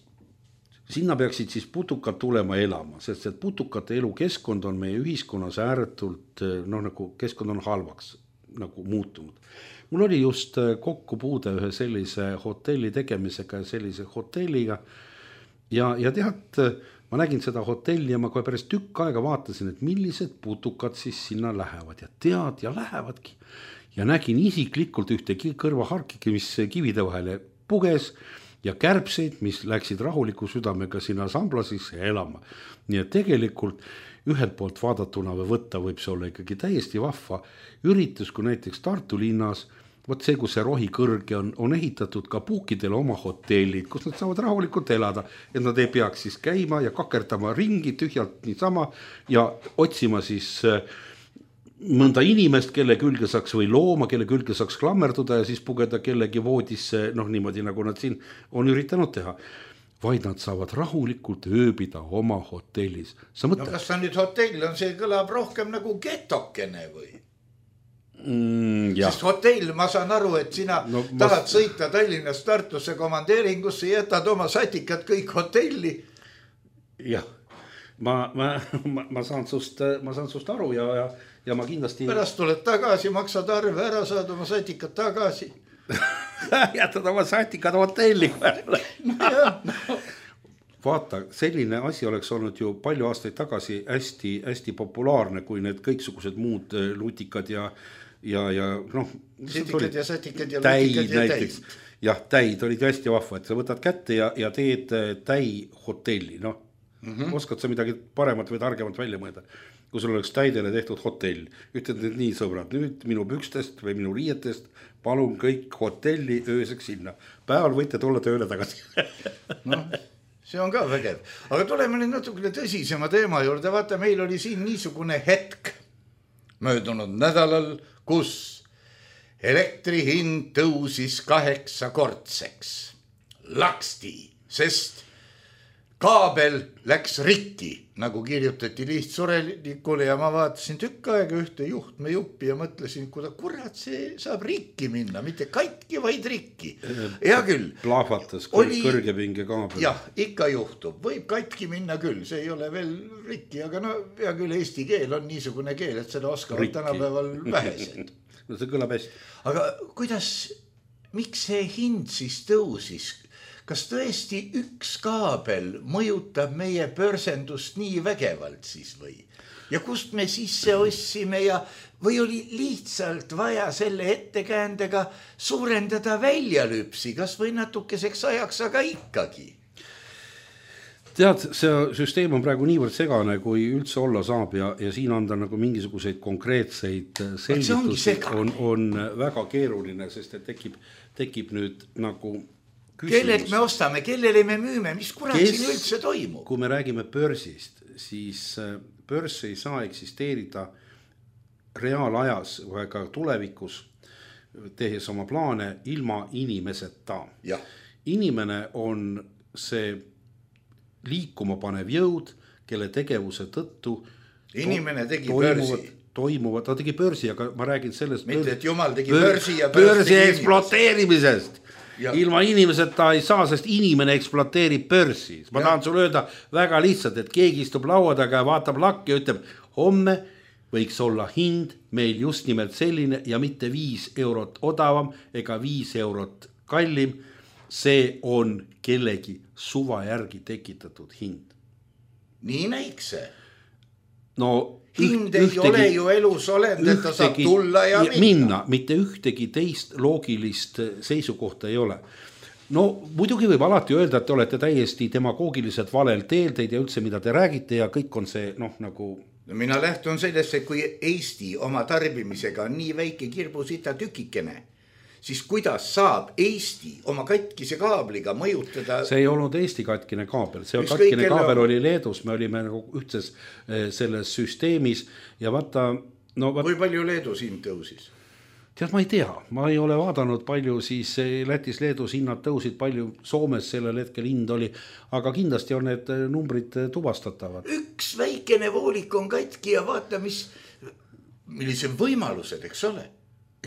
sinna peaksid siis putukad tulema elama, sest et putukate elukeskkond on meie ühiskonnas ääretult, noh nagu keskkond on halvaks nagu muutunud. Mul oli just kokkupuude ühe sellise hotelli tegemisega ja sellise hotelliga ja, ja tead, ma nägin seda hotelli ja ma kohe päris tükk aega vaatasin, et millised putukad siis sinna lähevad ja tead ja lähevadki. Ja nägin isiklikult ühte kõrvaharkiki, mis kivide vahele puges ja kärbseid, mis läksid rahuliku südamega sinna samblasisse elama. Nii et tegelikult ühelt poolt vaadatuna või võtta võib see olla ikkagi täiesti vahva üritus, kui näiteks Tartu linnas, vot see, kus see rohi kõrge on, on ehitatud ka puukidele oma hotellid, kus nad saavad rahulikult elada, et nad ei peaks siis käima ja kakerdama ringi tühjalt niisama ja otsima siis mõnda inimest, kelle külge saaks või looma, kelle külge saaks klammerduda ja siis pugeda kellegi voodisse, noh niimoodi nagu nad siin on üritanud teha. Vaid nad saavad rahulikult ööbida oma hotellis. No kas ta nüüd hotell on, see kõlab rohkem nagu getokene või? Mm, sest hotell, ma saan aru, et sina no, tahad ma... sõita Tallinnast Tartusse komandeeringusse, jätad oma satikad kõik hotelli. Jah, ma, ma, ma, ma, saan sust, ma saan sust aru ja, ja, ja ma kindlasti... Pärast tuled tagasi, maksad arve ära, saad oma satikad tagasi. Jätad oma satikad hotelli. No, jah, no. Vaata, selline asi oleks olnud ju palju aastaid tagasi hästi, hästi populaarne, kui need kõiksugused muud lutikad ja ja, ja noh, sitikad ja satikad ja täid lutikad ja näiteks. Täid. Jah, täid olid hästi vahva, et sa võtad kätte ja, ja teed täi hotelli, noh. Mm-hmm. Oskad sa midagi paremat või targemat välja mõelda, kui sul oleks täidele tehtud hotell. Ütled nüüd nii, sõbrad, nüüd minu pükstest või minu riietest palun kõik hotelli ööseks sinna. Päeval võite tulla tööle tagasi. Noh, see on ka vägev. Aga tuleme nüüd natukene tõsisema teema juurde. Vaata, meil oli siin niisugune hetk möödunud nädalal, kus elektri hind tõusis kaheksakordseks. Laksti, sest kaabel läks rikki, nagu kirjutati lihtsurelikule ja ma vaatasin tükk aega ühte juhtme juppi ja mõtlesin, kuida kurat see saab rikki minna, mitte katki, vaid rikki. Hea küll. Plahvatas oli... kõrgepinge kaabel. Jah, ikka juhtub. Võib katki minna küll, see ei ole veel rikki, aga no hea küll eesti keel on niisugune keel, et seda oskavad tänapäeval vähesed. No see kõlab hästi. Aga kuidas, miks see hind siis tõusis? Kas tõesti üks kaabel mõjutab meie börsendust nii vägevalt siis või? Ja kust me sisse ossime ja või oli lihtsalt vaja selle ettekäändega suurendada väljalüpsi, kas või natukeseks ajaks, aga ikkagi? Tead, see süsteem on praegu niivõrd segane, kui üldse olla saab ja, ja siin anda nagu mingisuguseid konkreetseid selgitusi on, on väga keeruline, sest et tekib, tekib nüüd nagu... Kellelt me ostame, kellele me müüme, mis kurat Kes, siin üldse toimub? Kui me räägime börsist, siis börs ei saa eksisteerida reaalajas või ka tulevikus, tehes oma plaane ilma inimeseta. Ja. Inimene on see liikuma panev jõud, kelle tegevuse tõttu inimene tegi toimuvad, börsi. Toimuvad, ta tegi börsi, aga ma räägin sellest mitte, et jumal tegi bör, börsi ja börs börsi eksploateerimisest. Ja. Ilma inimeseta ei saa, sest inimene eksploateerib börsi. Ma ja. tahan sulle öelda väga lihtsalt, et keegi istub laua taga ja vaatab lakki ja ütleb, homme võiks olla hind meil just nimelt selline ja mitte viis eurot odavam ega viis eurot kallim. See on kellegi suva järgi tekitatud hind. Nii näiks see. No hind ei ühtegi, ole ju elus olend, et ta saab tulla ja minna. minna. Mitte ühtegi teist loogilist seisukohta ei ole. No muidugi võib alati öelda, et te olete täiesti demagoogiliselt valel teel, teid ja üldse mida te räägite ja kõik on see noh nagu... No mina lähtun sellest, et kui Eesti oma tarbimisega on nii väike kirbusita tükikene, siis kuidas saab Eesti oma katkise kaabliga mõjutada... See ei olnud Eesti katkine kaabel, see katkine kaabel oli Leedus, me olime nagu ühtses selles süsteemis ja vaata... No, vaat... Kui palju Leedus hind tõusis? Tead, ma ei tea, ma ei ole vaadanud palju, siis Lätis, Leedus hinnad tõusid, palju Soomes sellel hetkel hind oli, aga kindlasti on need numbrid tuvastatavad. Üks väikene voolik on katki ja vaata, mis, millised võimalused, eks ole?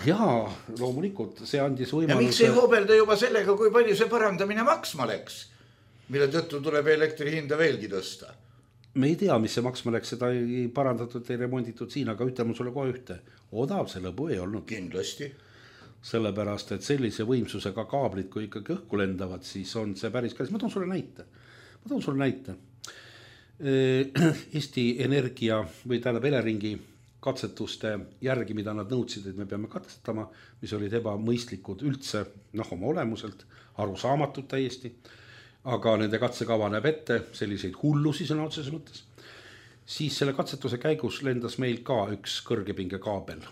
Jaa, loomulikult, see andis võimaluse... Ja miks ei hoobelda juba sellega, kui palju see parandamine maksma läks, mille tõttu tuleb elektri hinda veelgi tõsta? Me ei tea, mis see maksma läks, seda ei parandatud, ei remonditud siin, aga ütleme sulle kohe ühte. Odav see lõbu ei olnud. Kindlasti. Sellepärast, et sellise võimsusega kaablid, kui ikkagi õhku lendavad, siis on see päris kallis. Ma toon sulle näite. Ma toon sulle näite. Eesti Energia või tähendab Eleringi katsetuste järgi, mida nad nõudsid, et me peame katsetama, mis olid ebamõistlikud üldse, noh, oma olemuselt, arusaamatud täiesti, aga nende katsekava näeb ette selliseid hullusi sõna otseses mõttes, siis selle katsetuse käigus lendas meil ka üks kõrgepingekaabel.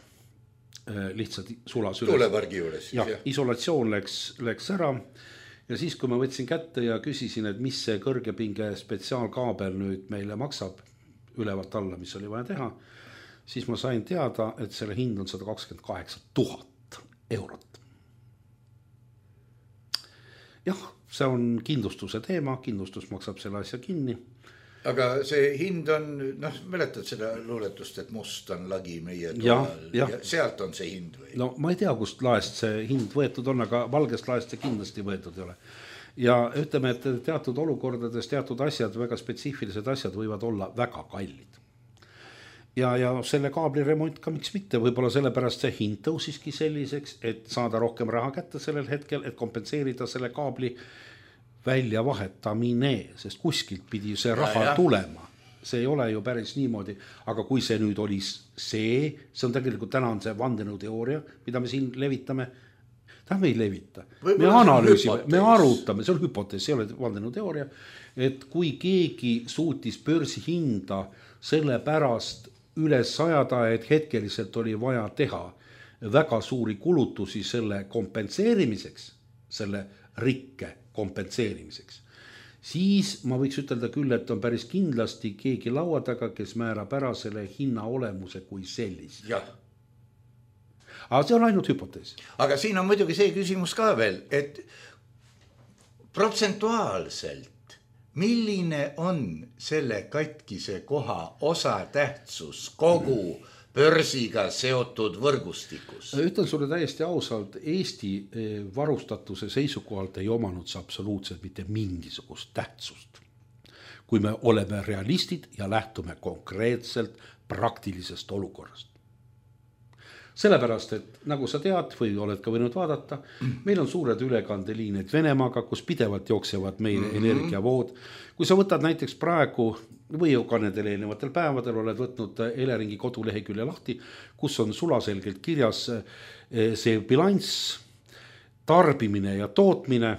Lihtsalt sulas üles. Tuulepargi juures. Ja, isolatsioon läks, läks ära ja siis, kui ma võtsin kätte ja küsisin, et mis see kõrgepinge spetsiaalkaabel nüüd meile maksab ülevalt alla, mis oli vaja teha, siis ma sain teada, et selle hind on sada kakskümmend kaheksa tuhat eurot. Jah, see on kindlustuse teema, kindlustus maksab selle asja kinni. Aga see hind on, noh, mäletad seda luuletust, et must on lagi meie toal ja, ja sealt on see hind või? No ma ei tea, kust laest see hind võetud on, aga valgest laest see kindlasti võetud ei ole. Ja ütleme, et teatud olukordades teatud asjad, väga spetsiifilised asjad võivad olla väga kallid. Ja, ja selle kaabli remont ka miks mitte, võib-olla sellepärast see hind tõusiski selliseks, et saada rohkem raha kätte sellel hetkel, et kompenseerida selle kaabli välja vahetamine, sest kuskilt pidi see raha ja, tulema. See ei ole ju päris niimoodi, aga kui see nüüd oli see, see on tegelikult täna on see vandenõuteooria, mida me siin levitame, ta me ei levita. Me analüüsime, me arutame, see on hüpotees, see ei ole vandenõuteooria, et kui keegi suutis börsihinda selle pärast üles sajada, et hetkeliselt oli vaja teha väga suuri kulutusi selle kompenseerimiseks, selle rikke kompenseerimiseks, siis ma võiks ütelda küll, et on päris kindlasti keegi laua taga, kes määrab ära selle hinna olemuse kui sellist. Jah. Aga see on ainult hüpotees. Aga siin on muidugi see küsimus ka veel, et protsentuaalselt, milline on selle katkise koha osatähtsus kogu börsiga seotud võrgustikus? Ütlen sulle täiesti ausalt, Eesti varustatuse seisukohalt ei omanud see absoluutselt mitte mingisugust tähtsust. Kui me oleme realistid ja lähtume konkreetselt praktilisest olukorrast. Sellepärast, et nagu sa tead või oled ka võinud vaadata, meil on suured ülekandeliinid Venemaaga, kus pidevalt jooksevad meie mm-hmm. energiavood. Kui sa võtad näiteks praegu või ka nendel eelnevatel päevadel oled võtnud Eleringi kodulehekülje lahti, kus on sulaselgelt kirjas see bilanss, tarbimine ja tootmine,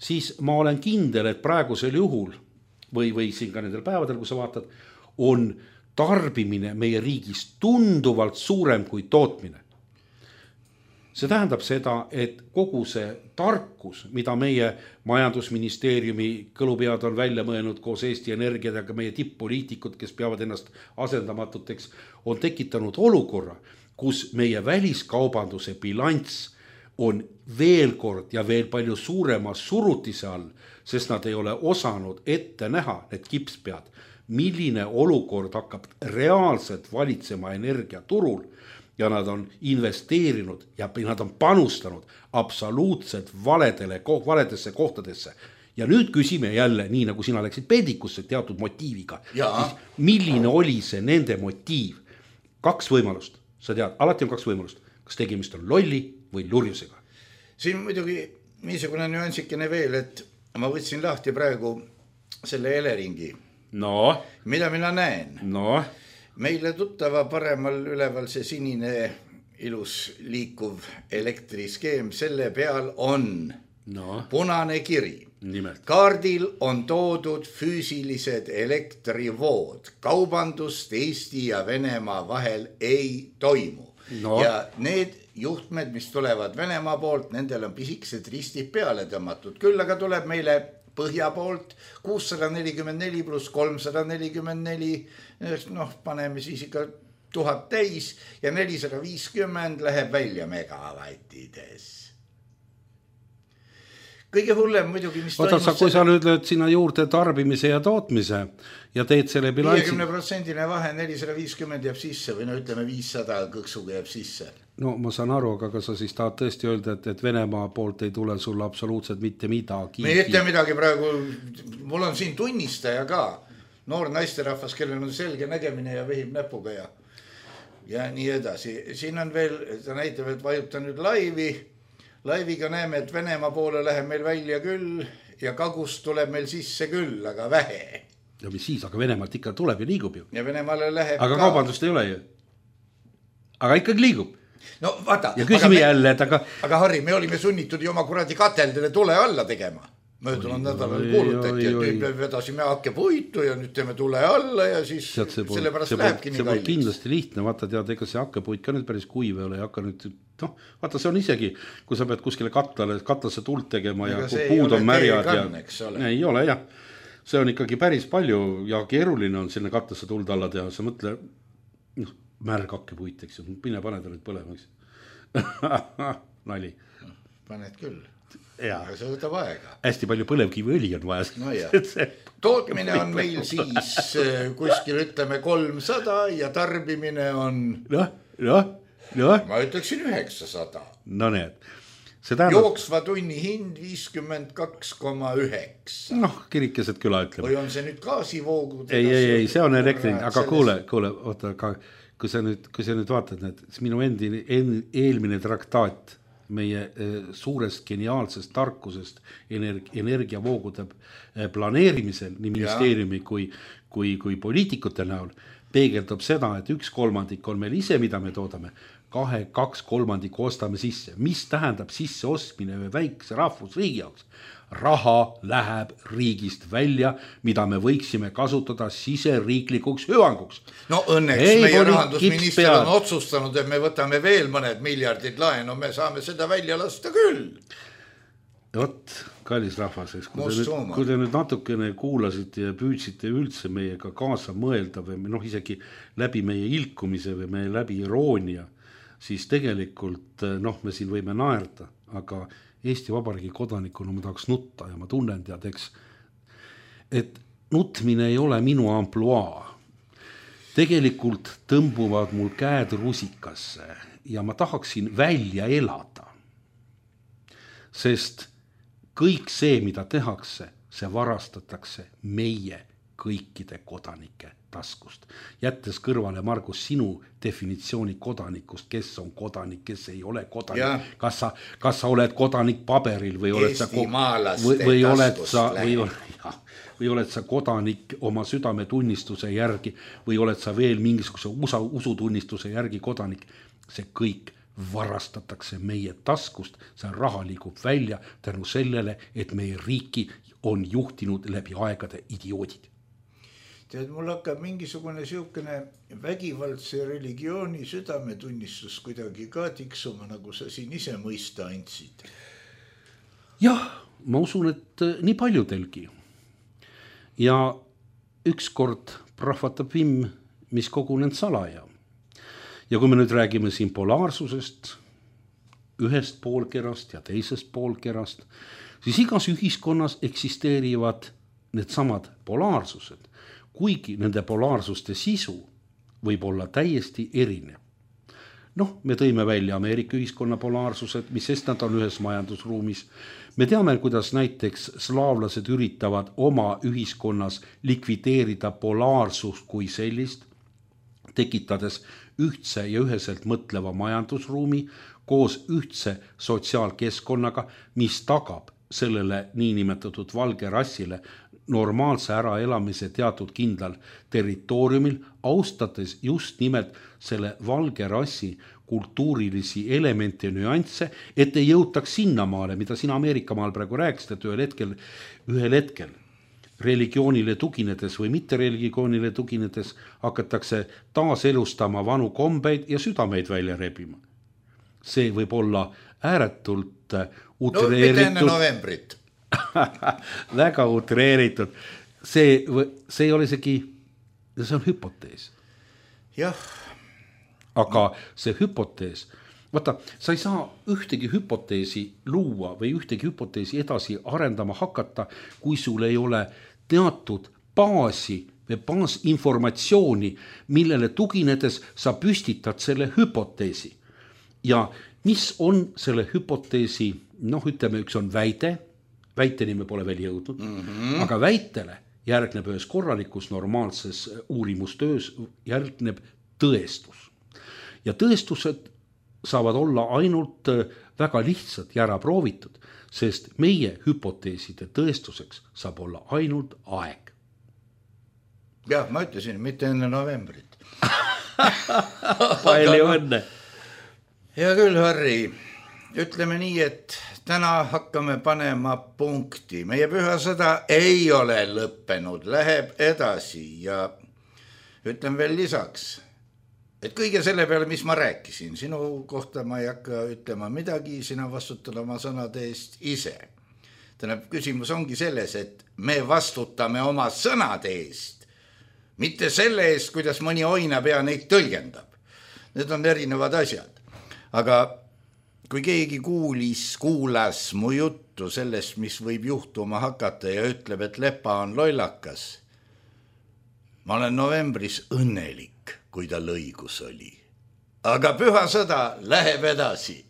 siis ma olen kindel, et praegusel juhul või, või siin ka nendel päevadel, kui sa vaatad, on tarbimine meie riigis tunduvalt suurem kui tootmine. See tähendab seda, et kogu see tarkus, mida meie majandusministeeriumi kõlupead on välja mõelnud koos Eesti Energiaga, meie tipp-poliitikud, kes peavad ennast asendamatuteks, on tekitanud olukorra, kus meie väliskaubanduse bilanss on veel kord ja veel palju suurema surutise all, sest nad ei ole osanud ette näha, need kipspead, milline olukord hakkab reaalselt valitsema energiaturul ja nad on investeerinud ja nad on panustanud absoluutselt valedele, valedesse kohtadesse. Ja nüüd küsime jälle, nii nagu sina läksid peedikusse teatud motiiviga, milline oli see nende motiiv? Kaks võimalust, sa tead, alati on kaks võimalust, kas tegemist on lolli või lurjusega. Siin muidugi niisugune nüansikene veel, et ma võtsin lahti praegu selle Eleringi. No. Mida mina näen? No. Meile tuttava paremal üleval see sinine ilus liikuv elektriskeem, selle peal on no. punane kiri. Nimelt. Kaardil on toodud füüsilised elektrivood. Kaubandust Eesti ja Venemaa vahel ei toimu. No. Ja need juhtmed, mis tulevad Venemaa poolt, nendel on pisikesed ristid peale tõmmatud. Küll aga tuleb meile põhja poolt kuussada nelikümmend neli pluss kolmsada nelikümmend neli, noh, paneme siis ikka tuhat täis ja nelisada viiskümmend läheb välja megavattides. Kõige hullem muidugi, mis Oota, toimus... Sa, kui sa nüüd lööd sinna juurde tarbimise ja tootmise ja teed selle bilansi... viiekümne protsendine vahe nelisada viiskümmend jääb sisse või no ütleme viissada kõksuga jääb sisse. No ma saan aru, aga kas sa siis tahad tõesti öelda, et, et Venemaa poolt ei tule sulle absoluutselt mitte midagi? Me ei ütle midagi praegu, mul on siin tunnistaja ka, noor naisterahvas, kellel on selge nägemine ja vehib näpuga ja, ja nii edasi. Siin on veel, ta näitab, et vajuta nüüd laivi, laiviga näeme, et Venemaa poole läheb meil välja küll ja kagust tuleb meil sisse küll, aga vähe. Ja mis siis, aga Venemaalt ikka tuleb ja liigub ju. Ja Venemaale läheb aga ka. Kaubandust ei ole ju. Aga ikkagi liigub. No vaata. Ja küsime jälle, et aga... Aga Harri, me olime sunnitud ju oma kuradi kateldele tule alla tegema. möödunud nädalal kuulutati, et nüüd me vedasime hakkepuitu ja nüüd teeme tule alla ja siis Tead, see pole, sellepärast see lähebki pole, nii kalliks. kindlasti lihtne, vaata tead, ega see hakkepuit ka nüüd päris kuiv ei ole ja hakka nüüd, noh, vaata see on isegi, kui sa pead kuskile katlale, katlasse tult tegema ja puud on märjad ja ole. ei ole jah, see on ikkagi päris palju ja keeruline on sinna katlasse tuld alla teha, sa mõtle, noh, märg hakkepuit, eks ju, mine pane ta nüüd põlema, eks nali. Paned küll. Ja. Aga see võtab aega. Hästi palju põlevkiviõli on vaja. No tootmine on meil siis kuskil ütleme kolmsada ja tarbimine on noh, noh, noh. ma ütleksin üheksasada. No need. See tähendab... Jooksva tunni hind viiskümmend kaks koma üheksa. Noh, kirikesed küla ütleme. Või on see nüüd gaasivoogud? Ei, ei, ei, see on elektrin, aga sellest... kuule, kuule, oota, aga kui sa nüüd, kui sa nüüd vaatad, need, minu endi, en, eelmine traktaat meie suurest geniaalsest tarkusest energi, energiavoogude planeerimisel nii ministeeriumi kui, kui, kui poliitikute näol peegeldab seda, et üks kolmandik on meil ise, mida me toodame, kahe, kaks kolmandiku ostame sisse. Mis tähendab sisse ostmine või väikse rahvusriigi jaoks? Raha läheb riigist välja, mida me võiksime kasutada siseriiklikuks hüvanguks. No õnneks ei, meie rahandusminister on otsustanud, et me võtame veel mõned miljardid laenu, me saame seda välja lasta küll. Vot, kallis rahvas, kui te, nüüd, kui te nüüd natukene kuulasite ja püüdsite üldse meiega kaasa mõelda või noh, isegi läbi meie ilkumise või meie läbi iroonia, siis tegelikult noh, me siin võime naerda, aga Eesti Vabariigi kodanikuna ma tahaks nutta ja ma tunnen tead, eks, et nutmine ei ole minu ampluaa. Tegelikult tõmbuvad mul käed rusikasse ja ma tahaksin välja elada. Sest kõik see, mida tehakse, see varastatakse meie kõikide kodanike taskust. Jättes kõrvale, Margus, sinu definitsiooni kodanikust, kes on kodanik, kes ei ole kodanik. Kas sa, kas sa oled kodanik paberil või oled sa, või, või oled sa, või, ja, või oled sa kodanik oma südametunnistuse järgi või oled sa veel mingisuguse usa, usutunnistuse järgi kodanik. See kõik varastatakse meie taskust, see raha liigub välja tänu sellele, et meie riiki on juhtinud läbi aegade idioodid. Tead, mul hakkab mingisugune siukene vägivaldse religiooni südametunnistus kuidagi ka tiksuma, nagu sa siin ise mõista andsid. Jah, ma usun, et nii paljudelgi. Ja ükskord prahvatab vimm, mis kogunend salaja. Ja kui me nüüd räägime siin polaarsusest, ühest poolkerast ja teisest poolkerast, siis igas ühiskonnas eksisteerivad need samad polaarsused. Kuigi nende polaarsuste sisu võib olla täiesti erinev. Noh, me tõime välja Ameerika ühiskonna polaarsused, mis sest nad on ühes majandusruumis. Me teame, kuidas näiteks slaavlased üritavad oma ühiskonnas likvideerida polaarsust kui sellist, tekitades ühtse ja üheselt mõtleva majandusruumi koos ühtse sotsiaalkeskkonnaga, mis tagab sellele niinimetatud valge rassile normaalse äraelamise teatud kindlal territooriumil, austades just nimelt selle valge rassi kultuurilisi elemente ja nüansse, et ei jõutaks sinnamaale, mida siin Ameerika maal praegu rääkisid, et ühel hetkel, ühel hetkel religioonile tuginedes või mitte religioonile tuginedes hakatakse taas elustama vanu kombeid ja südameid välja rebima. See võib olla ääretult utreeritud. No mitte enne novembrit. Väga utreeritud. See, see ei ole isegi, see on hüpotees. Jah. Aga see hüpotees, vaata, sa ei saa ühtegi hüpoteesi luua või ühtegi hüpoteesi edasi arendama hakata, kui sul ei ole teatud baasi või baasinformatsiooni, millele tuginedes sa püstitad selle hüpoteesi. Ja mis on selle hüpoteesi, noh ütleme, üks on väide, väiteni me pole veel jõudnud, mm-hmm. aga väitele järgneb ühes korralikus normaalses uurimustöös järgneb tõestus. Ja tõestused saavad olla ainult väga lihtsad ja ära proovitud, sest meie hüpoteeside tõestuseks saab olla ainult aeg. Jah, ma ütlesin, mitte enne novembrit. Palju õnne. Hea küll, Harri. ütleme nii, et täna hakkame panema punkti. Meie pühasõda ei ole lõppenud, läheb edasi ja ütlen veel lisaks, et kõige selle peale, mis ma rääkisin, sinu kohta ma ei hakka ütlema midagi, sina vastutad oma sõnade eest ise. Tähendab, küsimus ongi selles, et me vastutame oma sõnade eest, mitte selle eest, kuidas mõni oinapea neid tõlgendab. Need on erinevad asjad. Aga kui keegi kuulis, kuulas mu juttu sellest, mis võib juhtuma hakata ja ütleb, et Lepa on lollakas, ma olen novembris õnnelik, kui tal õigus oli. Aga pühasõda läheb edasi.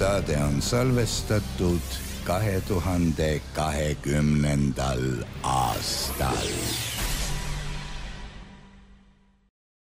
Saade on salvestatud kahe tuhande kahekümnendal aastal.